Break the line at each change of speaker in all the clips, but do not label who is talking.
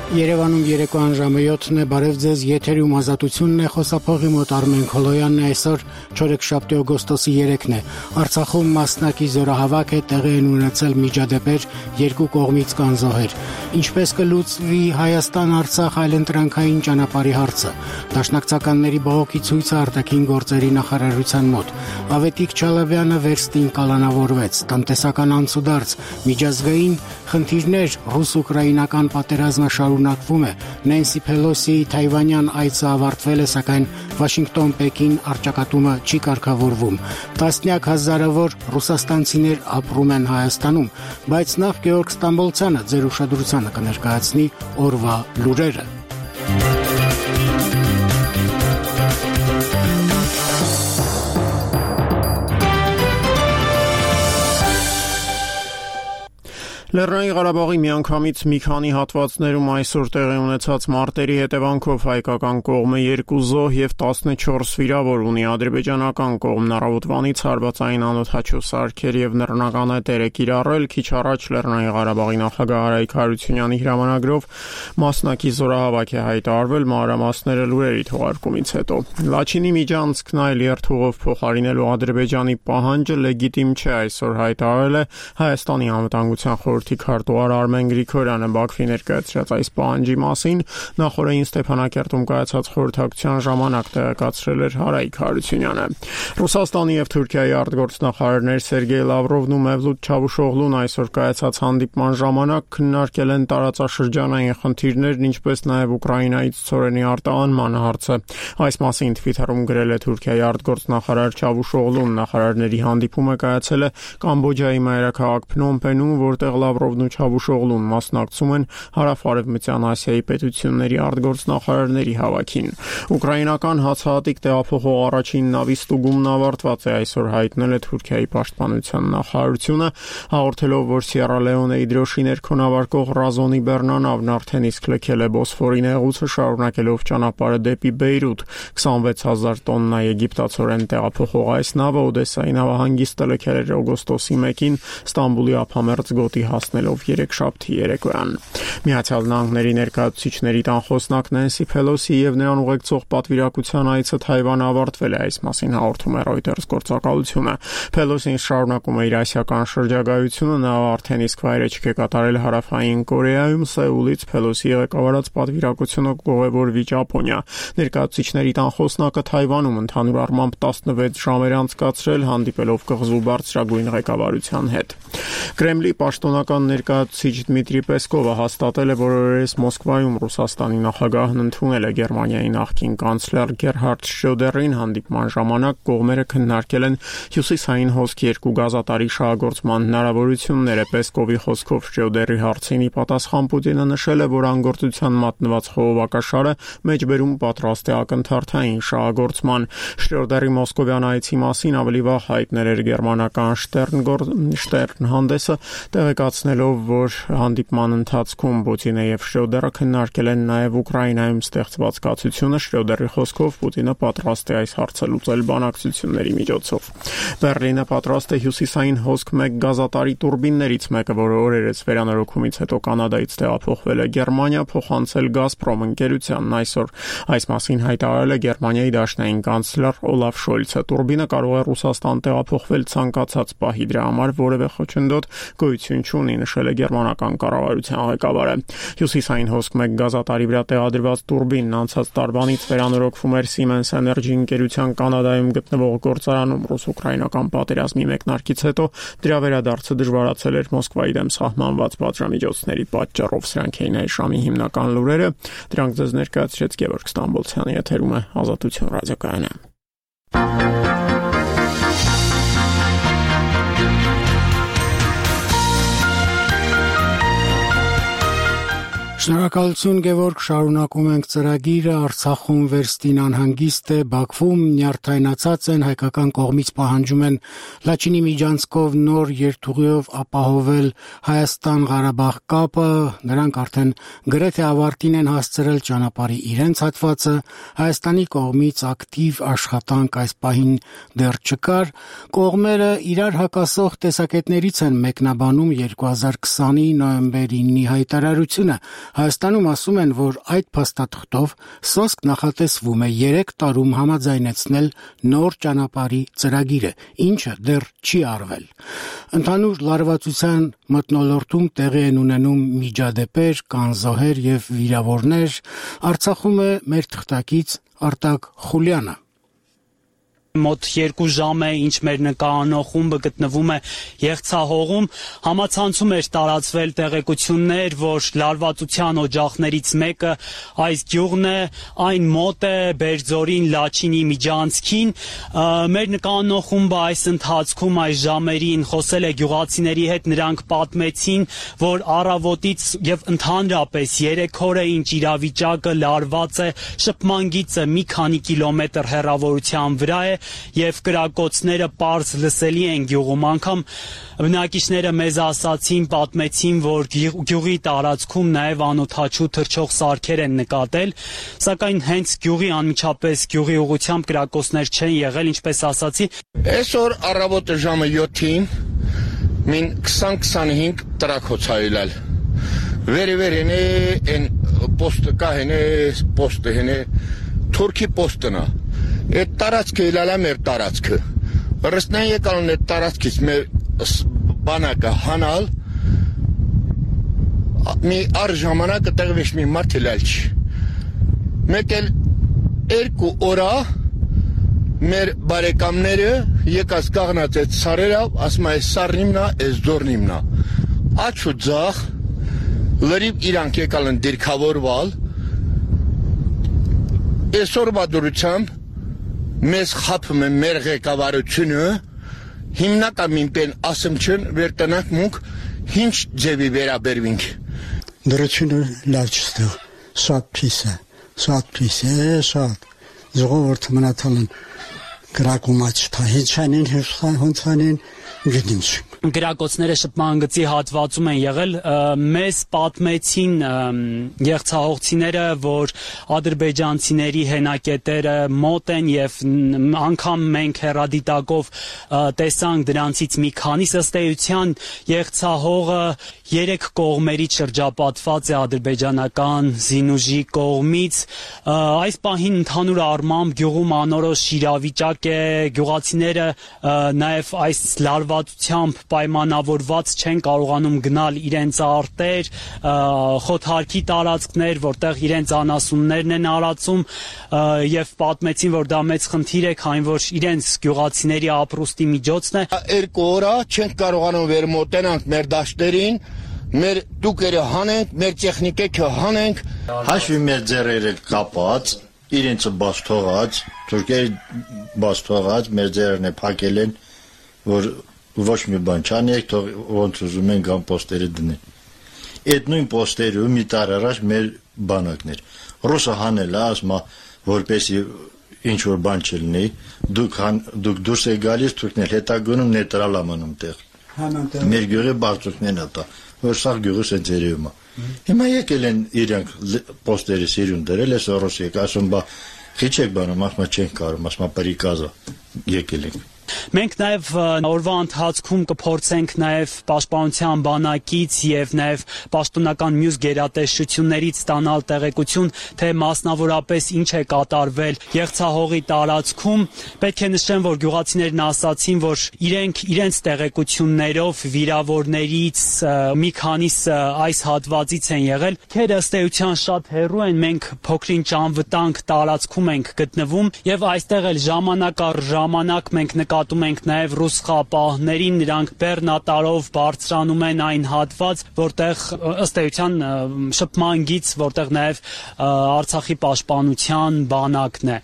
Երևանում երեկոյան ժամը 7-ն է, բարև ձեզ, եթերում ազատությունն է, խոսափողի մոտ Արմեն Քոլոյանն է, այսօր չորեքշաբթի օգոստոսի 3-ն է։ Արցախում մասնակի զորահավաք է, տեղի են ունեցել միջադեպեր, երկու կողմից կան զոհեր։ Ինչպես կլուծվի Հայաստան-Արցախ այլընտրանքային ճանապարհի հարցը։ Դաշնակցականների բողոքի ցույցը արտաքին գործերի նախարարության մոտ։ Ավետիք Չալաբյանը վերստին կալանավորվեց, տնտեսական անցուդարձ, միջազգային խնդիրներ, ռուս-ուկրաինական պատերազմը շարունակվում է։ Նենսի Փելոսիի թայվանյան այցը ավարտվել է, սակայն Վաշինգտոն-Պեկին առճակատումը չի կարգավորվում։ Տասնյակ հազարավոր ռուսաստանցիներ ապրում են Հայաստանում, բայց նախ Գեորգ Ստամբոլցյանը ձեր ուշադրությանը կներկայացնի օրվա լուրերը։
Լեռնային Ղարաբաղի միանգամից մի քանի հատվածներում այսօր տեղի ունեցած մարտերի հետևանքով հայկական կողմը 2 զոհ եւ 14 վիրավոր ունի։ Ադրբեջանական կողմն առավոտվանից հարվածային անօդաչու սարքեր եւ նռնական էտեր է կիրառել։ Քիչ առաջ Լեռնային Ղարաբաղի նախագահ Արայք Հարությունյանի հրամանագրով մասնակի զորահավաք է հայտարարվել, մանրամասները լուրերի թողարկումից հետո։ Լաչինի Միջանցքն այլ երթուղով փոխարինելու Ադրբեջանի պահանջը լեգիտիմ չէ, այսօր հայտարարել է Հայաստանի անվտանգության քարտուղար Արմեն Գրիգորյանը Բաքվի ներկայացրած այս պահանջի մասին նախորդին Ստեփանակերտում կայացած խորհրդակցության ժամանակ տեղեկացրել էր Արայք Հարությունյանը։ Ռուսաստանի եւ Թուրքիայի արտգործնախարարներ Սերգեյ Լավրովն ու Մևլութ Չավուշօղլուն այսօր կայացած հանդիպման ժամանակ քննարկել են տարածաշրջանային խնդիրներն, ինչպես նաեւ Ուկրաինայից ցորենի արտահանման հարցը։ Այս մասին Twitter-ում գրել է Թուրքիայի արտգործնախարար Չավուշօղլուն։ Նախարարների հանդիպումը կայացել է Կամբոջայի մայրաքաղաք Փնոմ Պենում, որտեղ Լավրովն ու Չավուշօղլուն մասնակցում են Հարավարևմտյան Ասիայի պետությունների արտգործնախարարների հավաքին։ Ուկրաինական հացահատիկ տեղափոխող առաջին նավի ստուգումն ավարտված է, այսօր հայտնել է Թուրքիայի պաշտպանության նախարարությունը, հաղորդելով, որ Սիերա Լեոնեի դրոշի ներքո նավարկող Ռազոնի բեռնանավն արդեն իսկ լքել է Բոսֆորի նեղուցը, շարունակելով ճանապարհը դեպի Բեյրութ։ 26000 տոննա եգիպտացորեն տեղափոխող այս նավը Օդեսայի նավահանգիստը լքել էր օգոստոսի 1-ին Ստամբուլի ափամերձ գոտի հասնելով երեքշաբթի երեկոյան։ Միացյալ Նահանգների ներկայացուցիչների տանխոսնակ Նենսի Փելոսի եւ նրան ուղեկցող պատվիրակության այցը Թայվան ավարտվել է, այս մասին հաղորդում է Reuters գործակալությունը։ Փելոսին շարունակում է իր ասիական շրջագայությունը, նա արդեն իսկ վայրեջք է կատարել Հարավային Կորեայում, Սեուլից Փելոսի ղեկավարած պատվիրակությունը կուղևորվի Ճապոնիա։ Ներկայացուցիչների տանխոսնակը Թայվանում ընդհանուր առմամբ 16 ժամ էր անցկացրել, հանդիպելով կղզու բարձրագույն ղեկավարության հետ։ Կրեմլի պաշտոնական ներկայացուցիչ Դմիտրի Պեսկովը հաստատել է, որ օրերս Մոսկվայում Ռուսաստանի նախագահն ընդունել է Գերմանիայի նախկին կանցլեր Գերհարդ Շրոդերին։ Հանդիպման ժամանակ կողմերը քննարկել են հյուսիսային հոսք 2 գազատարի շահագործման հնարավորությունները։ Պեսկովի խոսքով Շրոդերի հարցին ի պատասխան Պուտինը նշել է, որ անգործության մատնված խողովակաշարը մեջբերում պատրաստ է ակնթարթային շահագործման։ Շրոդերի մոսկովյան այցի մասին ավելի վաղ հայտնել էր գերմանական Շտերն հանդեսը, տեղեկացնելով, որ հանդիպման ընթացքում Պուտինը եւ Շրոդերը քննարկել են նաեւ Ուկրաինայում ստեղծված կացությունը։ Շրոդերի խոսքով Պուտինը պատրաստ է այս հարցը լուծել բանակցությունների միջոցով։ Բեռլինը պատրաստ է հյուսիսային հոսք 1 գազատարի տուրբիններից մեկը, որը օրերս վերանորոգումից հետո Կանադայից տեղափոխվել է Գերմանիա, փոխանցել Գազպրոմ ընկերությանն այսօր։ Այս մասին հայտարարել է Գերմանիայի դաշնային կանցլեր Օլաֆ Շոլցը։ Տուրբինը կարող է Ռուսաստան տեղափոխվել ցանկացած պահի, դրա համար որևէ խոչընդոտ գոյություն չունի, նշել է գերմանական կառավարության ղեկավարը։ Հյուսիսային հոսք 1 գազատարի վրա տեղադրված տուրբինն անցած տարվանից վերանորոգվում էր Siemens Energy ընկերության Կանադայում գտնվող գործարանում ռուս-ուկրաինական պատերազմի մեկնարկից հետո դրա վերադարձը դժվարացել էր Մոսկվայի դեմ սահմանված պատժամիջոցների պատճառով։ Սրանք էին այս ժամի հիմնական լուրերը, դրանք ձեզ ներկայացրեց Գեորգ Ստամբոլցյանը, եթերում է Ազատություն ռադիոկայանը։
Շնորհակալություն Գևորգ, շարունակում ենք ծրագիրը։ Արցախում վերստին անհանգիստ է, Բաքվում նյարդայնացած են, հայկական կողմից պահանջում են Լաչինի միջանցքով նոր երթուղիով ապահովել Հայաստան-Ղարաբաղ կապը, նրանք արդեն գրեթե ավարտին են հասցրել ճանապարհի իրենց հատվածը, Հայաստանի կողմից ակտիվ աշխատանք այս պահին դեռ չկար, կողմերը իրար հակասող տեսակետներից են մեկնաբանում 2020-ի նոյեմբեր 9-ի հայտարարությունը։ Հայաստանում ասում են, որ այդ փաստաթղթով սոսկ նախատեսվում է 3 տարում համաձայնեցնել նոր ճանապարհի ծրագիրը, ինչը դեռ չի արվել։ Ընդհանուր լարվածության մթնոլորտում տեղի են ունենում միջադեպեր, կան զոհեր եւ վիրավորներ, Արցախում է մեր թղթակից Արտակ Խուլյանը։
Մոտ 2 ժամ է, ինչ մեր նկարանող խումբը գտնվում է Եղցահողում, համացանցում էր տարածվել տեղեկություններ, որ լարվածության օջախներից մեկը այս գյուղն է, այն մոտ է Բերձորին Լաչինի միջանցքին։ Մեր նկարանող խումբը այս ընթացքում այս ժամերին խոսել է գյուղացիների հետ, նրանք պատմեցին, որ առավոտից եւ ընդհանրապես 3 օր է ինչ իրավիճակը լարված է, շփման գիծը մի քանի կիլոմետր հեռավորության վրա է եւ կրակոցները պարզ լսելի են գյուղում, անգամ բնակիչները մեզ ասացին, պատմեցին, որ գյուղի տարածքում նաեւ անօթաչու թռչող սարքեր են նկատել, սակայն հենց գյուղի անմիջապես գյուղի ուղությամբ կրակոցներ չեն եղել, ինչպես ասացի։
Այսօր առավոտը ժամը 7-ին մին 20-25 տրակոց հայելալ։ Վերևերեն են պոստը կահեն է, պոստը հեն է, թուրքի պոստն է։ Այդ տարածքը իլալա մեր տարածքը։ Ռստնան եկալն այդ տարածքից մեր բանակը հանալ, մի առ ժամանակը տեղվեշ մի մարդ իլալ չի։ Մեկ էլ 2 օրա մեր բարեկամները եկած կաղնած այդ սարերը, ասում այս սարն իմնա, այս ձորն իմնա։ Աչ ու ձախ, լրիվ իրանք եկալ են դիրքավորվալ, այսօր բադուրությամբ մեզ խապում է մեր ղեկավարությունը, հիմնակամին պեն ասում չն, վերտնակ մունք, հինչ ձևի վերաբերվինք։
Դրությունը լավ չստեղ, շատ պիս է, շատ։ Ժողովուրդը մնացել են կրակում աչթա, հինչանին, հոնցանին, գիտիմ չում։
Գրակոցները շփման գծի հատվածում են եղել, մեզ պատմեցին եղցահողցիները, որ ադրբեջանցիների հենակետերը մոտ են եւ անգամ մենք հեռադիտակով տեսանք դրանցից մի քանիս, ըստ էության եղցահողը 3 կողմերից շրջապատված է ադրբեջանական զինուժի կողմից։ Այս պահին ընդհանուր առմամբ գյուղում անորոշ իրավիճակ է, գյուղացիները նաեւ այս լարվածությամբ պայմանավորված չեն կարողանում գնալ իրենց արտեր, խոթարքի տարածքներ, որտեղ իրենց անասուններն են արածում եւ պատմեցին, որ դա մեծ խնդիր է, քանի որ իրենց գյուղացիների ապրուստի միջոցն է։
2 օր չենք կարողանում վերմոտենանք մեր դաշտերին, մեր տուկերը հանենք, մեր տեխնիկեքը հանենք։
Հաշվի մեր ձեռերը կապած, իրենցը բաց թողած, թուրքերի բաց թողած, մեր ձեռերն է փակել են, որ ոչ մի բան չանեք, թող ոնց ուզում են գան պոստերը դնեն։ Այդ նույն պոստերը մի տար առաջ մեր բանակներ։ Ռուսը հանել է, ասում է, որպեսի ինչ որ բան չլինի, դուք դուրս եք գալիս, թուրքն էլ հետա գնում նեյտրալ ամանում տեղ։ Մեր գյուղի բարձունքներն է տա, որ սաղ գյուղը սենց երևում է։ Հիմա եկել են իրանք պոստերը սիրուն դրել, ես ռուս եք, ասում բա խիչեք բանում, ասում չենք կարում, ասում պարիկազա եկել ենք։
Մենք նաև օրվա ընթացքում կփորձենք նաև պաշտպանության բանակից եւ նաև պաշտոնական մյուս գերատեսչություններից ստանալ տեղեկություն, թե մասնավորապես ինչ է կատարվել Եղցահողի տարածքում։ Պետք է նշեմ, որ գյուղացիներն ասացին, որ իրենց տեղեկություններով վիրավորներից մի քանիսը այս հատվածից են եղել։ Քերը ըստ էության շատ հեռու են, մենք փոքրինչ անվտանգ տարածքում ենք գտնվում եւ այստեղ էլ ժամանակ առ ժամանակ մենք նկատում ենք նաև ռուս խապահներին, նրանք բեռնատարով բարձրանում են այն հատված, որտեղ ըստ էության շփման գիծ, որտեղ նաև Արցախի պաշտպանության բանակն է։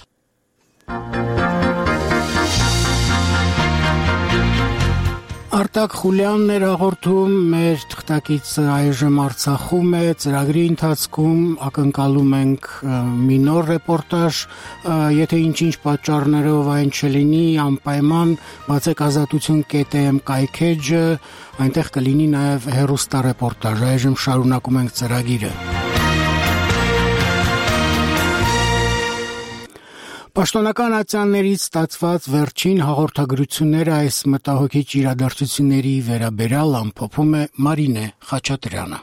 Արտակ Խուլյանն էր հաղորդում, մեր թղթակիցը այժմ Արցախում է, ծրագրի ընթացքում ակնկալում ենք մի նոր ռեպորտաժ, եթե ինչ-ինչ պատճառներով այն չլինի, անպայման բացեք ազատություն.am կայքեջը, այնտեղ կլինի նաև հեռուստառեպորտաժ, այժմ շարունակում ենք ծրագիրը։ Պաշտոնական ատյաններից ստացված վերջին հաղորդագրությունները այս մտահոգիչ իրադարձությունների վերաբերյալ ամփոփում է Մարինե Խաչատրյանը։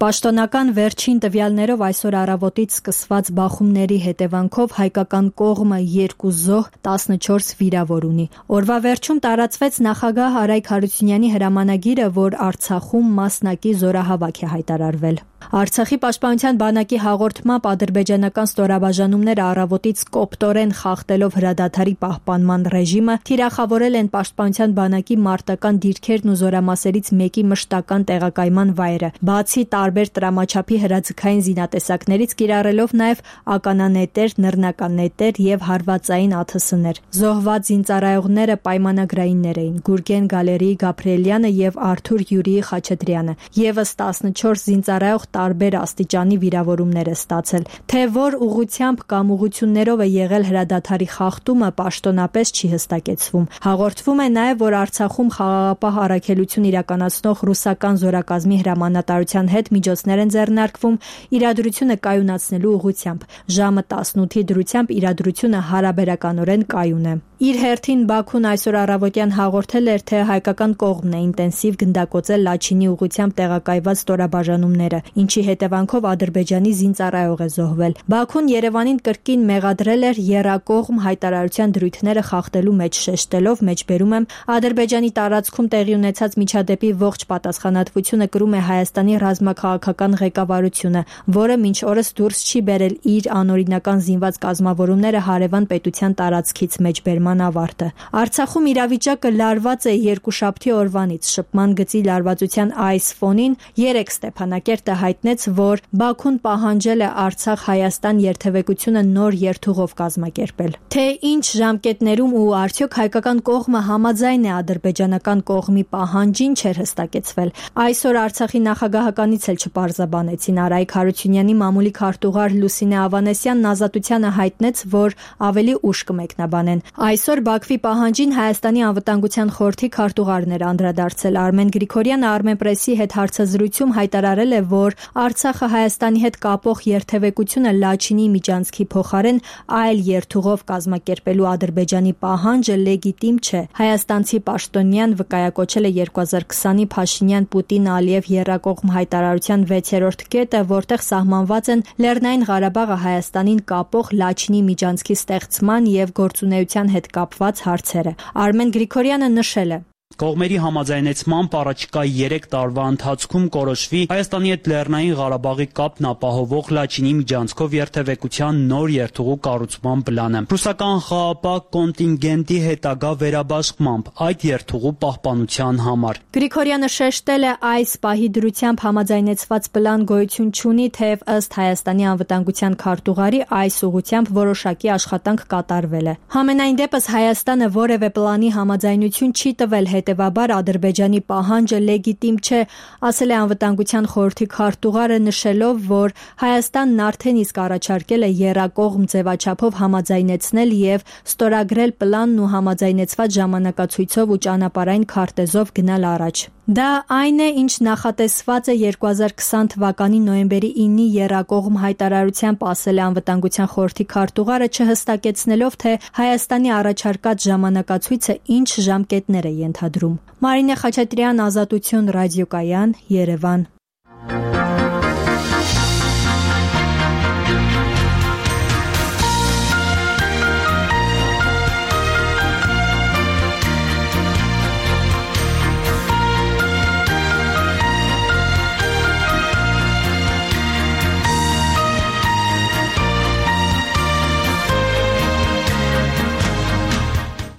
Պաշտոնական վերջին տվյալներով այսօր առավոտից սկսված բախումների հետևանքով հայկական կողմը 2 զոհ, 14 վիրավոր ունի։ Օրվա վերջում տարածվեց նախագահ Արայք Հարությունյանի հրամանագիրը, որ Արցախում մասնակի զորահավաք է հայտարարվել։ Արցախի պաշտպանության բանակի հաղորդմամբ ադրբեջանական ստորաբաժանումները առավոտից կոպտորեն խախտելով հրադադարի պահպանման ռեժիմը թիրախավորել են պաշտպանության բանակի մարտական դիրքերն ու զորամասերից մեկի մշտական տեղակայման վայրը, բացի տարբեր տրամաչափի հրաձգային զինատեսակներից կիրառելով նաև ականանետեր, նռնականետեր եւ հարվածային ԱԹՍ-ներ։ Զոհված զինծառայողները պայմանագրայիններ էին՝ Գուրգեն Գալերիի Գաբրիելյանը եւ Արթուր Յուրիի Խաչատրյանը։ Եվս 14 զինծառայող տարբեր աստիճանի վիրավորումներ է ստացել։ Թե որ ուղղությամբ կամ ուղղություններով է եղել հրադադարի խախտումը, պաշտոնապես չի հստակեցվում։ Հաղորդվում է նաև, որ Արցախում խաղաղապահ առաքելություն իրականացնող ռուսական զորակազմի հրամանատարության հետ միջոցներ են ձեռնարկվում իրադրությունը կայունացնելու ուղղությամբ։ Ժամը 18-ի դրությամբ իրադրությունը հարաբերականորեն կայուն է։ Իր հերթին Բաքուն այսօր առավոտյան հաղորդել էր, թե հայկական կողմն է ինտենսիվ գնդակոծել Լաչինի ուղղությամբ տեղակայված ստորաբաժանումները, ինչի հետևանքով Ադրբեջանի զինծառայող է զոհվել։ Բաքուն Երևանին կրկին մեղադրել էր եռակողմ հայտարարության դրույթները խախտելու մեջ, շեշտելով, մեջբերում եմ, Ադրբեջանի տարածքում տեղի ունեցած միջադեպի ողջ պատասխանատվությունը կրում է Հայաստանի ռազմաքաղաքական ղեկավարությունը, որը մինչ օրս դուրս չի բերել իր անօրինական զինված կազմավորումները հարևան պետության տարածքից մեջբերման ավարտը։ Արցախում իրավիճակը լարված է երկուշաբթի օրվանից։ Շփման գծի լարվածության այս ֆոնին 3 Ստեփանակերտը հայտնեց, որ Բաքուն պահանջել է Արցախ-Հայաստան երթևեկությունը նոր երթուղով կազմակերպել։ Թե ինչ ժամկետներում ու արդյոք հայկական կողմը համաձայն է ադրբեջանական կողմի պահանջին, չէր հստակեցվել։ Այսօր Արցախի նախագահականից էլ չպարզաբանեցին։ Արայք Հարությունյանի մամուլի քարտուղար Լուսինե Ավանեսյանն Ազատությանը հայտնեց, որ ավելի ուշ կմեկնաբանեն։ Այսօր Բաքվի պահանջին Հայաստանի անվտանգության խորհրդի քարտուղարն էր անդրադարձել։ Արմեն Գրիգորյանը Armenpress-ի հետ հարցազրույցում հայտարարել է, որ Արցախը Հայաստանի հետ կապող երթևեկությունը Լաչինի միջանցքի փոխարեն այլ երթուղով կազմակերպելու Ադրբեջանի պահանջը լեգիտիմ չէ։ Հայաստանցի պաշտոնյան վկայակոչել է 2020-ի Փաշինյան-Պուտին-Ալիև եռակողմ հայտարարության 6-րդ կետը, որտեղ սահմանված են Լեռնային Ղարաբաղը Հայաստանին կապող Լաչինի միջանցքի ստեղծման եւ գործունեության հետ կապված հարցերը։ Արմեն Գրիգորյանը նշել է.
Կողմերի համաձայնեցմամբ առաջիկա 3 տարվա ընթացքում կորոշվի Հայաստանի հետ Լեռնային Ղարաբաղի կապն ապահովող Լաչինի միջանցքով երթևեկության նոր երթուղու կառուցման պլանը։ Ռուսական խաղապահ կոնտինգենտի հետագա վերաբաշխմամբ այդ երթուղու պահպանության համար։
Գրիգորյանը շեշտել է, այս պահի դրությամբ համաձայնեցված պլան գոյություն չունի, թեև ըստ Հայաստանի անվտանգության քարտուղարի այս ուղղությամբ որոշակի աշխատանք կատարվել է։ Համենայն դեպս Հայաստանը որևէ պլանի համաձայնություն չի տվել, հետևաբար Ադրբեջանի պահանջը լեգիտիմ չէ, ասել է անվտանգության խորհրդի քարտուղարը, նշելով, որ Հայաստանն արդեն իսկ առաջարկել է եռակողմ ձևաչափով համաձայնեցնել եւ ստորագրել պլանն ու համաձայնեցված ժամանակացույցով ու ճանապարհային քարտեզով գնալ առաջ։ Դա այն է, ինչ նախատեսված է 2020 թվականի նոյեմբերի 9-ի եռակողմ հայտարարությամբ, ասել է անվտանգության խորհրդի քարտուղարը, չհստակեցնելով, թե Հայաստանի առաջարկած ժամանակացույցը ինչ ժամկետներ է ենթադրում։ Մարինե Խաչատրյան, Ազատություն, Ռադիոկայան, Երևան։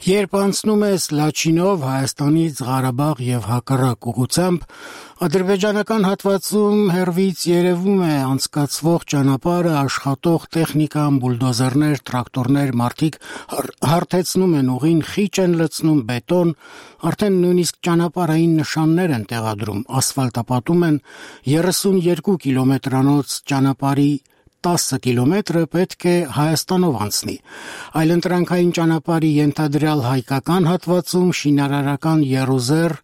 Երբ անցնում ես Լաչինով Հայաստանից Ղարաբաղ եւ հակառակ ուղղությամբ, ադրբեջանական հատվածում հեռվից երևում է անցկացվող ճանապարհը, աշխատող տեխնիկան, բուլդոզերներ, տրակտորներ, մարդիկ հարթեցնում են ուղին, խիճ են լցնում բետոն, արդեն նույնիսկ ճանապարհային նշաններ են տեղադրում, ասֆալտապատում են 32 կիլոմետրանոց ճանապարհի 10 կիլոմետրը պետք է Հայաստանով անցնի։ Այլընտրանքային ճանապարհի ենթադրյալ հայկական հատվածում շինարարական եռուզեռ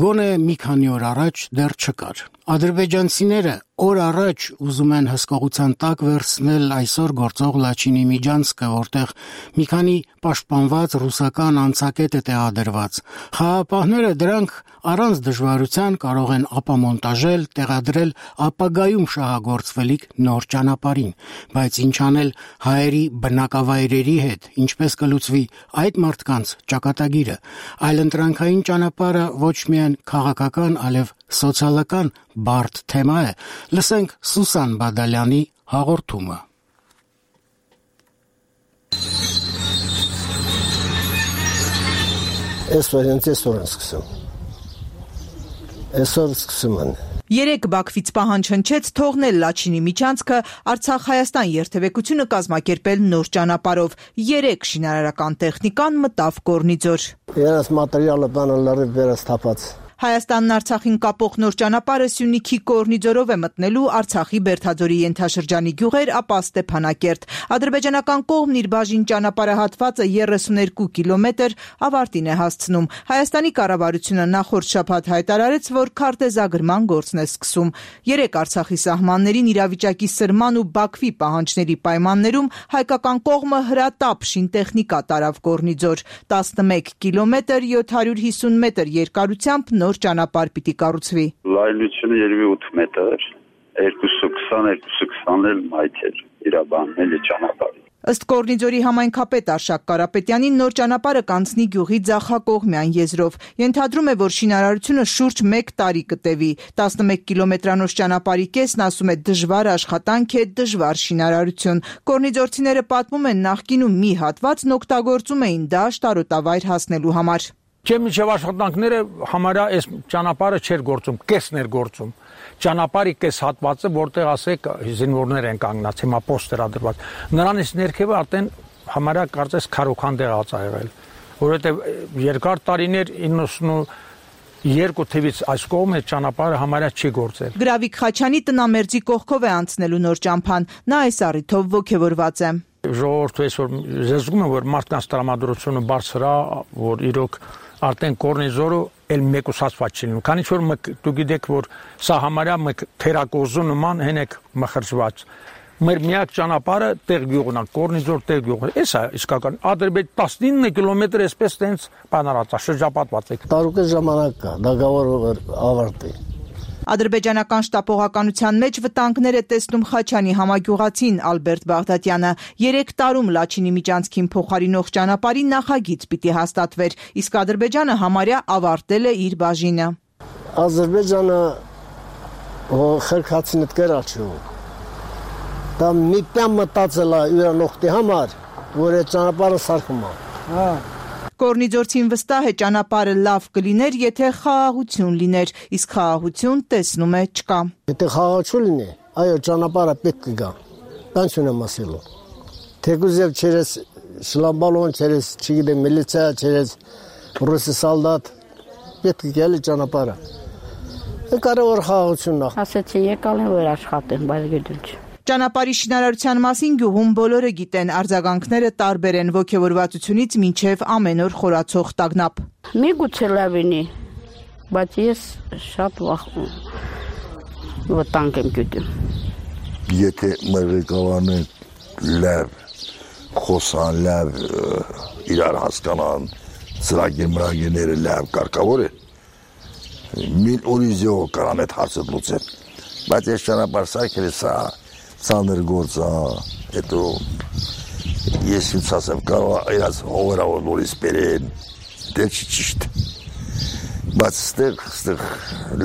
գոնե մի քանի օր առաջ դեռ չկար։ Ադրբեջանցիները օր առաջ ուզում են հսկողության տակ վերցնել այսօր գործող Լաչինի միջանցքը, որտեղ մի քանի պաշտպանված ռուսական անցակետ է տեղադրված։ Խաղապահները դրանք առանց դժվարության կարող են ապամոնտաժել, տեղադրել ապագայում շահագործվելիք նոր ճանապարհին, բայց ինչ անել հայերի բնակավայրերի հետ, ինչպես կլուծվի այդ մարդկանց ճակատագիրը։ Այլընտրանքային ճանապարհը ոչ միայն քաղաքական, այլև սոցիալական բարդ թեմա է։ Լսենք Սուսան Բադալյանի հաղորդումը։
Այսօր սկսում են։ Երեք Բաքվից պահանջ հնչեց թողնել Լաչինի միջանցքը, Արցախ-Հայաստան երթևեկությունը կազմակերպել նոր ճանապարհով։ 3 շինարարական տեխնիկան մտավ Կորնիձոր։
Երես մատերիալը բանը լրիվ վերս թափած։
Հայաստանն Արցախին կապող նոր ճանապարհը Սյունիքի Կորնիձորով է մտնելու Արցախի Բերդաձորի ենթաշրջանի գյուղեր, ապա Ստեփանակերտ։ Ադրբեջանական կողմն իր բաժին ճանապարհահատվածը 32 կիլոմետր ավարտին է հասցնում։ Հայաստանի կառավարությունը նախորդ շաբաթ հայտարարեց, որ քարտեզագրման գործն է սկսում։ 3 Արցախի սահմաններին իրավիճակի սրման ու Բաքվի պահանջների պայմաններում հայկական կողմը հրատապ շինտեխնիկա տարավ Կորնիձոր։ 11 կիլոմետր 750 մետր երկարությամբ նոր ճանապարհ պիտի կառուցվի։
Լայնությունը երևի 8 մետր, 220-220 մայթեր իրաբանելի ճանապարհ։
Ըստ Կորնիձորի համայնքապետ Արշակ Կարապետյանի նոր ճանապարհը կանցնի գյուղի ձախակողմյան եզրով։ Ենթադրում է, որ շինարարությունը շուրջ 1 տարի կտևի։ 11 կիլոմետրանոց ճանապարհի կեսն, ասում է, դժվար աշխատանք է, դժվար շինարարություն։ Կորնիձորցիները պատմում են, նախկինում մի հատվածն օգտագործում էին դաշտ արոտավայր հասնելու համար։
Միջև աշխատանքները համարյա այս ճանապարհը չէր գործում, կեսն էր գործում։ Ճանապարհի կես հատվածը, որտեղ ասեք զինվորներ են կանգնած, հիմա պոստեր ադրված։ Նրանից ներքևը արդեն համարյա կարծես քարոքանդեղած ա եղել, որովհետև երկար տարիներ 92 թվից այս կողմը ճանապարհը համարյա չի գործել։
Գրավիկ Խաչյանի տնամերձի կողքով է անցնելու նոր ճամփան։ Նա այս առիթով ոգևորված է։
Ժողովուրդը այսօր զգում է, որ մարդկանց տրամադրությունը բարձր է, որ իրոք արդեն Կորնիձորը էլ մեկուսացված չի լինում։ Քանի որ դուք գիտեք, որ սա համարյա մեկ թերակոզու նման հենեք մխրճված։ Մեր միակ ճանապարհը տեղ գյուղն է, Կորնիձոր տեղ գյուղը։ Էս է իսկական Ադրբեջան 19 կիլոմետր էսպես տենց բանարած է, շրջապատված է։
Տարուկը ժամանակ կա, դագավոր ավարտի։
Ադրբեջանական շտապողականության մեջ վտանգներ է տեսնում Խաչյանի համագյուղացին Ալբերտ Բաղդատյանը։ 3 տարում Լաչինի միջանցքին փոխարինող ճանապարհի նախագիծ պիտի հաստատվեր, իսկ Ադրբեջանը համարյա ավարտել է իր բաժինը։
Ադրբեջանը խրքացին դկերաչու։ Դա մի պյան մտածել է իրանոხտի համար, որ այդ ճանապարհը սարքում է։
Կորնիձորցին վստահ է ճանապարհը լավ կլիներ, եթե խաղաղություն լիներ, իսկ խաղաղություն տեսնում է չկա։
Եթե խաղաղություն լինի, այո, ճանապարհը պետք կգա։ Բան չունեմ ասելու։ Թեկուզ եւ չերես շլամբալոն, չերես, չգիտեմ, միլիցիա, չերես ռուսի սալդատ, պետք է գալի ճանապարհը։ Կարևոր խաղաղությունն է։
Ասեցի եկալ են որ աշխատեն, բայց գիտեմ չէ։
Ճանապարհի շինարարության մասին գյուղում բոլորը գիտեն, արձագանքները տարբեր են ոգևորվածությունից մինչև ամեն օր խորացող տագնապ։
Միգուցե լավ լինի, բայց ես շատ վտանգ եմ գիտեմ։
Եթե մեր ղեկավարները լավ խոսան, լավ իրար հասկանան, ծրագիրները լավ կարգավոր է, մին օրիզիո կարամ այդ հարցը լուծել։ Բայց այս ճանապարհ սարքելը սա ծանր գործ է, հետո ես ինձ ասեմ կարող իրաց հողերավոր նորից բերեն, դե չի ճիշտ, բայց ստեղ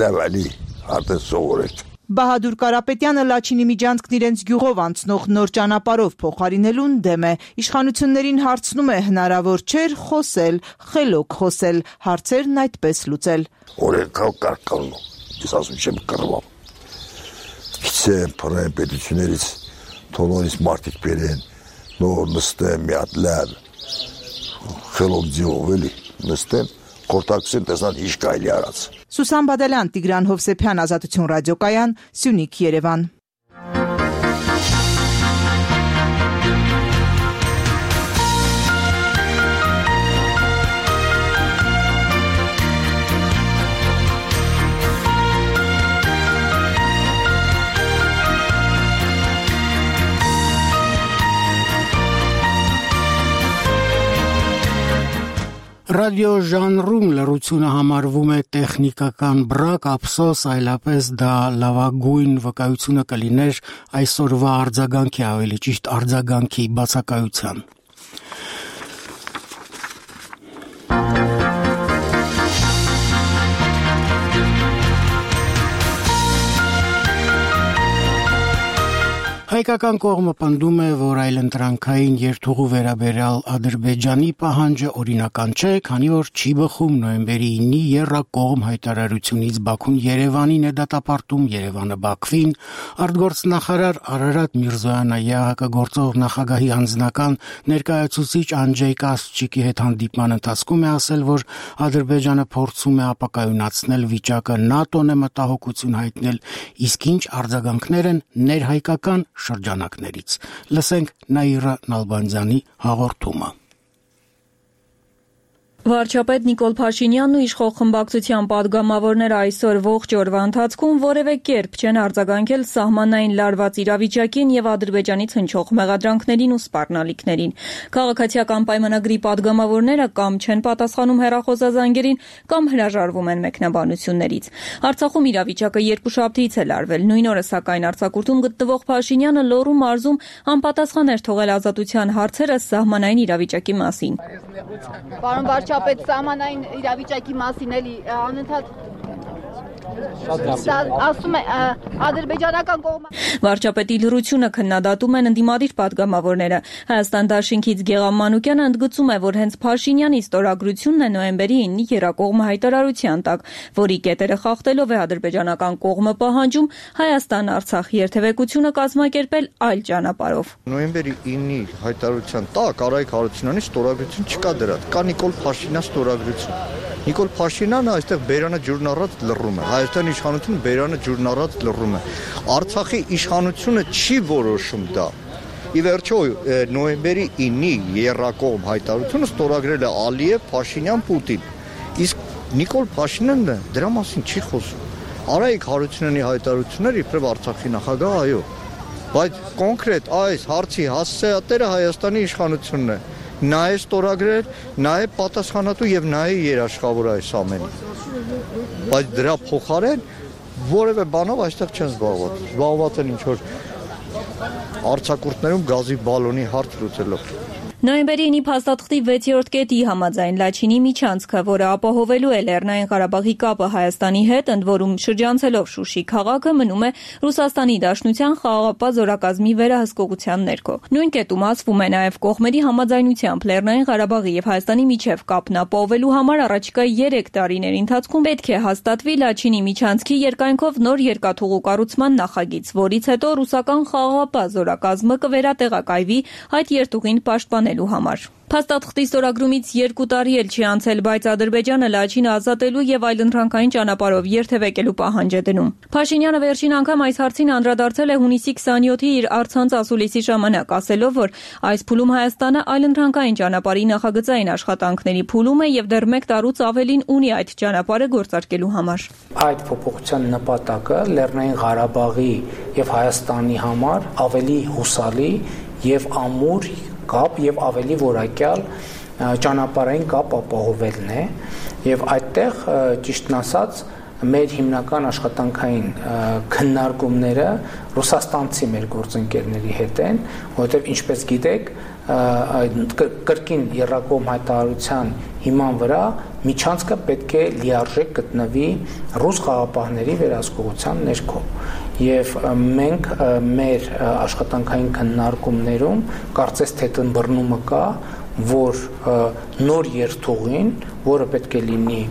լավ ալի արդեն սովորեք։
Բահադուր Կարապետյանը Լաչինի միջանցքն իրենց գյուղով անցնող նոր ճանապարհով փոխարինելուն դեմ է։ Իշխանություններին հարցնում է հնարավոր չէր խոսել, խելոք խոսել, հարցերն այդպես լուծել։
Օրենքով կարգալու, ես ասում չեմ կռվամ։ Քիչեն փռեն պետություններից թողնորից մարդիկ բերեն, նոր նստեն մի հատ լավ խելոք ձիով էլի նստեն, խորտակցեն տեսնան ինչ կարելի արած։
Սուսան Բադալյան, Տիգրան Հովսեփյան, Ազատություն ռադիոկայան, Սյունիք, Երևան։
ռադիո ժանրում լռությունը համարվում է տեխնիկական բրակ, ափսոս, այլապես դա լավագույն վկայությունը կլիներ այսօրվա արձագանքի, ավելի ճիշտ արձագանքի բացակայության։ Հայկական կողմը պնդում է, որ այլընտրանքային երթուղու վերաբերյալ Ադրբեջանի պահանջը օրինական չէ, քանի որ չի բխում նոյեմբերի 9-ի եռակողմ հայտարարությունից Բաքուն Երևանին է դատապարտում, Երևանը Բաքվին, արտգործնախարար Արարատ Միրզոյանը ԵԱՀԿ գործող նախագահի անձնական ներկայացուցիչ Անջեյ Կասչիկի հետ հանդիպման ընթացքում է ասել, որ Ադրբեջանը փորձում է ապակայունացնել վիճակը, ՆԱՏՕ-ն է մտահոգություն հայտնել, իսկ ինչ արձագանքներ են ներհայկական շրջանակներից։ Լսենք Նաիրա Նալբանդյանի հաղորդումը։
Վարչապետ Նիկոլ Փաշինյանն ու իշխող խմբակցության падգամավորները այսօր ողջ օրվա ընթացքում որևէ կերպ չեն արձագանքել սահմանային լարված իրավիճակին եւ Ադրբեջանից հնչող մեղադրանքներին ու սպառնալիքներին։ Քաղաքացիական պայմանագրի падգամավորները կամ չեն պատասխանում հեռախոսազանգերին, կամ հրաժարվում են մեկնաբանություններից։ Արցախում իրավիճակը երկուշաբթիից է լարվել։ Նույն օրը սակայն արձակուրդում գտնվող Փաշինյանը Լոռու մարզում անպատասխան էր թողել ազատության հարցերը սահմանային իրավիճակի մասին։
Պարոն վարչապետ, սահմանային իրավիճակի մասին էլի անընդհատ ասում է ադրբեջանական կողմը։
Վարչապետի լռությունը քննադատում են ընդդիմադիր падգամավորները։ Հայաստան Դաշինքից Գեղամ Մանուկյանը ընդգծում է, որ հենց Փաշինյանի ստորագրությունն է նոյեմբերի 9-ի եռակողմ հայտարարության տակ, որի կետերը խախտելով է ադրբեջանական կողմը պահանջում Հայաստան-Արցախ երթևեկությունը կազմակերպել այլ ճանապարհով։
Նոյեմբերի 9-ի հայտարարության տակ Արայք Հարությունյանի ստորագրություն չկա դրա, կա Նիկոլ Փաշինյանի ստորագրություն։ Նիկոլ Փաշինյանը այստեղ բերանը ջուրն առած լռում է։ Հայաստանի իշխանությունը բերանը ջուրն առած լռում է։ Արցախի իշխանությունը չի որոշում դա։ Ի վերջո նոյեմբերի 9-ի եռակողմ հայտարարությունը ստորագրել է Ալիև, Փաշինյան, Պուտին։ Իսկ Նիկոլ Փաշինյանը դրա մասին չի խոսում։ Արայք Հարությունյանի հայտարարությունները իբրև Արցախի նախագահ, այո, բայց կոնկրետ այս հարցի հասցեատերը Հայաստանի իշխանությունն է։ Նա է ստորագրել, նա է պատասխանատու եւ նա է երաշխավոր այս ամենի։ Բայց դրա փոխարեն որևէ բանով այստեղ չեն զբաղված։ Զբաղված են ինչ որ արձակուրդներում գազի բալոնի հարց լուծելով։
Նոյեմբերի 9-ի փաստաթղթի 6-րդ կետի համաձայն Լաչինի միջանցքը, որը ապահովելու է Լեռնային Ղարաբաղի կապը Հայաստանի հետ, ընդ որում շրջանցելով Շուշի քաղաքը, մնում է Ռուսաստանի Դաշնության խաղաղապահ զորակազմի վերահսկողության ներքո։ Նույն կետում ասվում է նաև կողմերի համաձայնությամբ Լեռնային Ղարաբաղի եւ Հայաստանի միջև կապն ապահովելու համար առաջիկա 3 տարիների ընթացքում պետք է հաստատվի Լաչինի միջանցքի երկայնքով նոր երկաթուղու կառուցման նախագիծ, որից հետո ռուսական խաղաղապահ զորակազմը կվերատեղակայվի այդ երթուղին պաշտպանելու համար։ Փաստաթղթի ստորագրումից 2 տարի էլ չի անցել, բայց Ադրբեջանը Լաչինը ազատելու եւ այլընտրանքային ճանապարհով երթևեկելու պահանջ է դնում։ Փաշինյանը վերջին անգամ այս հարցին անդրադարձել է հունիսի 27-ի իր առցանց ասուլիսի ժամանակ, ասելով, որ այս փուլում Հայաստանը այլընտրանքային ճանապարհի նախագծային աշխատանքների փուլում է եւ դեռ 1 տարուց ավելին ունի այդ ճանապարհը գործարկելու համար։
Այդ փոփոխության նպատակը Լեռնային Ղարաբաղի եւ Հայաստանի համար ավելի հուսալի եւ ամուր կապ եւ ավելի որակյալ ճանապարհային կապ ապահովելն է եւ այդտեղ ճիշտն ասած մեր հիմնական աշխատանքային քննարկումները ռուսաստանցի մեր գործընկերների հետ են, որովհետեւ ինչպես գիտեք կրկին եռակողմ հայտարարության հիման վրա միջանցքը պետք է լիարժեք գտնվի ռուս խաղաղապահների վերահսկողության ներքո եւ մենք մեր աշխատանքային քննարկումներում կարծես թե տնբռնումը կա, որ նոր երթուղին, որը պետք է լինի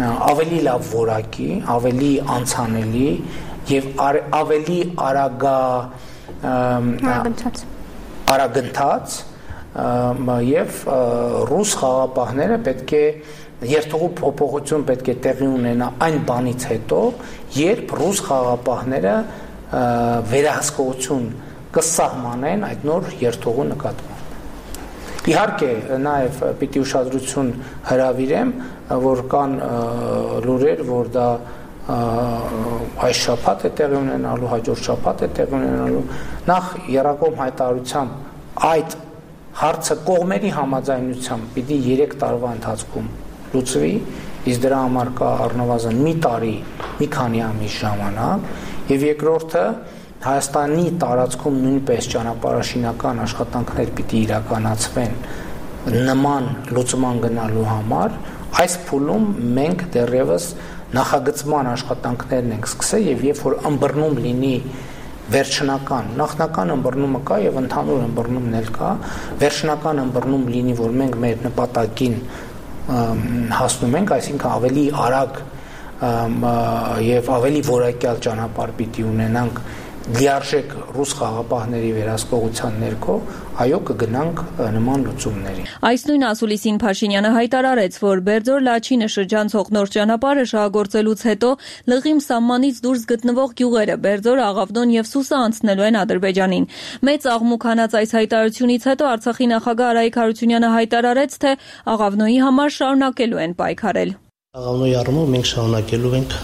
ավելի լավ որակի, ավելի անցանելի եւ ավելի արագընթաց եւ ռուս խաղաղապահները պետք է երթուղու փոփոխություն պետք է տեղի ունենա այն բանից հետո, երբ ռուս խաղաղապահները վերահսկողություն կսահմանեն այդ նոր երթուղու նկատմամբ։ Իհարկե, նաև պիտի ուշադրություն հրավիրեմ, որ կան լուրեր, որ դա այս շաբաթ է տեղի ունենալու, հաջորդ շաբաթ է տեղի ունենալու։ Նախ եռակողմ հայտարարությամբ այդ հարցը կողմերի համաձայնությամբ պիտի 3 տարվա ընթացքում լուծվի, իսկ դրա համար կա առնվազն մի տարի, մի քանի ամիս ժամանակ, եւ երկրորդը Հայաստանի տարածքում նույնպես ճանապարհաշինական աշխատանքներ պիտի իրականացվեն նման լուծման գնալու համար, այս փուլում մենք դեռևս նախագծման աշխատանքներն ենք սկսել եւ երբ որ ըմբռնում լինի վերջնական, նախնական ըմբռնումը կա եւ ընդհանուր ըմբռնումն էլ կա, վերջնական ըմբռնում լինի, որ մենք մեր նպատակին հասնում ենք, այսինքն ավելի արագ եւ ավելի որակյալ ճանապարհ պիտի ունենանք լիարժեք ռուս խաղապահների վերահսկողության ներքո, այո, կգնանք նման լուծումների։
Այս նույն ասուլիսին Փաշինյանը հայտարարեց, որ Բերձոր-Լաչինը շրջանցող նոր ճանապարհը շահագործելուց հետո լղիմ սահմանից դուրս գտնվող գյուղերը Բերձոր, Աղավնոն եւ Սուսը անցնելու են Ադրբեջանին։ Մեծ աղմուկ հանած այս հայտարարությունից հետո Արցախի նախագահ Արայիկ Հարությունյանը հայտարարեց, թե Աղավնոյի համար շարունակելու են պայքարել։
Աղավնոյի առումով մենք շարունակելու ենք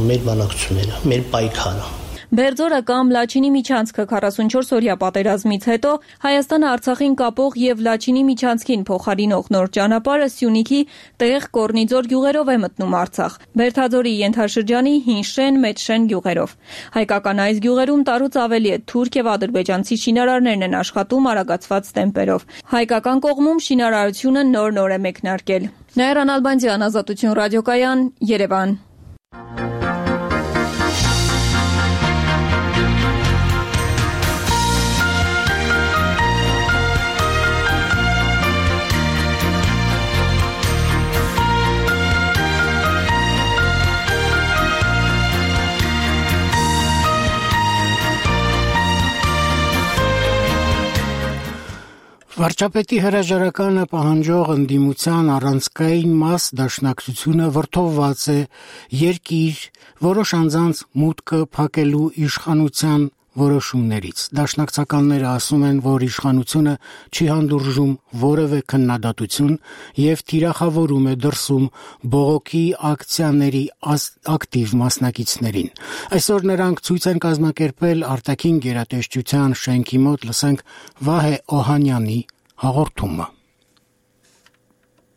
մեր բանակցությունները, մեր պայքարը։
Բերձորը կամ Լաչինի միջանցքը 44-օրյա պատերազմից հետո Հայաստանը Արցախին կապող եւ Լաչինի միջանցքին փոխարինող նոր ճանապարհը Սյունիքի տեղ Կորնիձոր գյուղերով է մտնում Արցախ։ Բերթաձորի ենթաշրջանի Հինշեն, Մեջշեն գյուղերով։ Հայկական այս գյուղերում տարուց ավելի է թուրք եւ ադրբեջանցի շինարարներն են աշխատում արագացված տեմպերով։ Հայկական կողմում շինարարությունը նոր է մեկնարկել։ Նաիրա Նալբանդյան, Ազատություն ռադիոկայան, Երևան։
Վարչապետի հրաժարականը պահանջող ընդդիմության առանցքային մաս դաշնակցությունը վրդովված է երկիր որոշ անձանց մուտքը փակելու իշխանության որոշումներից։ Դաշնակցականները ասում են, որ իշխանությունը չի հանդուրժում որևէ քննադատություն եւ թիրախավորում է դրսում բողոքի ակցիաների ակտիվ մասնակիցներին։ Այսօր նրանք ցույց են կազմակերպել արտաքին գերատեսչության շենքի մոտ, լսենք Վահե Օհանյանի հաղորդումը։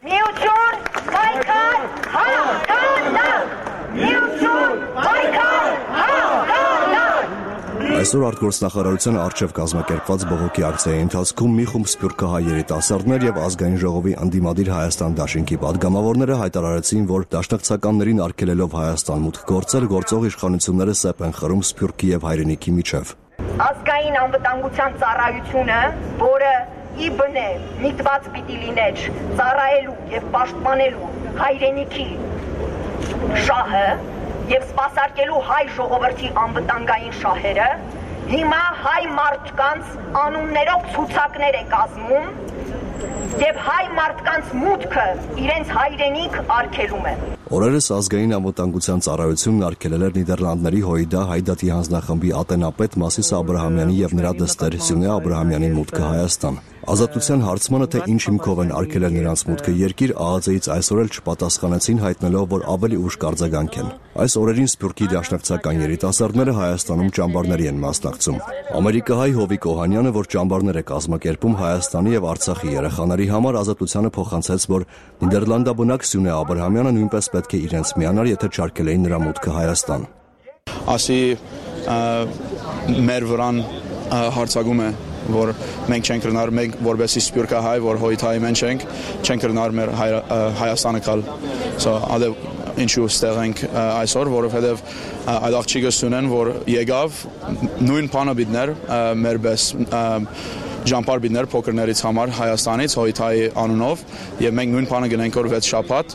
Միություն, պայքար, հաղթանակ! Միություն, պայքար, հաղթանակ!
Այսօր արտգործնախարարության առջև կազմակերպված բողոքի ակցիայի ընթացքում մի խումբ սփյուռքահայ երիտասարդներ եւ ազգային ժողովի ընդդիմադիր Հայաստան դաշինքի падգամավորները հայտարարեցին, որ դաշնակցականներին արգելելով Հայաստան մուտք գործել, գործող իշխանությունները սեպ են խրում սփյուռքի եւ հայրենիքի միջև։
Ազգային անվտանգության ծառայությունը, որը իբն է միտված պիտի լիներ ծառայելու եւ պաշտպանելու հայրենիքի շահը եւ սպասարկելու հայ ժողովրդի անվտանգային շահերը, հիմա հայ մարդկանց անուններով ցուցակներ է կազմում եւ հայ մարդկանց մուտքը իրենց հայրենիք արգելում է։
Օրերս ազգային անվտանգության ծառայությունն արգելել էր Նիդերլանդների Հոյդա հայդատի հանձնախմբի ատենապետ Մասիս Աբրահամյանի եւ նրա դստեր Սյունե Աբրահամյանի մուտքը Հայաստան։ Ազատության հարցմանը, թե ինչ հիմքով են արգելել նրանց մուտքը երկիր, ԱԱԾ-ից այսօր էլ չպատասխանեցին, հայտնելով, որ ավելի ուշ կարձագանք են։ Այս օրերին Սփյուռքի դաշնակցական երիտասարդները Հայաստանում ճամբարների են մասնակցում։ Ամերիկահայ Հովիկ Օհանյանը, որ ճամբարներ է կազմակերպում Հայաստանի եւ Արցախի երեխաների համար, Ազատությանը փոխանցեց, որ Նիդերլանդաբնակ Սյունե Աբրահամյանը նույնպես պետք է իրենց միանար, եթե չարգելեին նրա մուտքը Հայաստան։
Ասի մեր վրան հարցակում է, որ մենք չենք կրնար, մենք որբեսի սպյուրկահայ, որ հոյթայի մենք չենք կրնար մեր Հայաստանը կալ։ Ադե ինչու ստեղ ենք այսօր, որովհետև այդ աղջիկը Սյունեն, որ եկավ, նույն բանը բիդներ, մեր պես ճամբար բիդներ փոքրներից համար Հայաստանից հոյթայի անունով, եւ մենք նույն բանը գնենք որ 6 շաբաթ,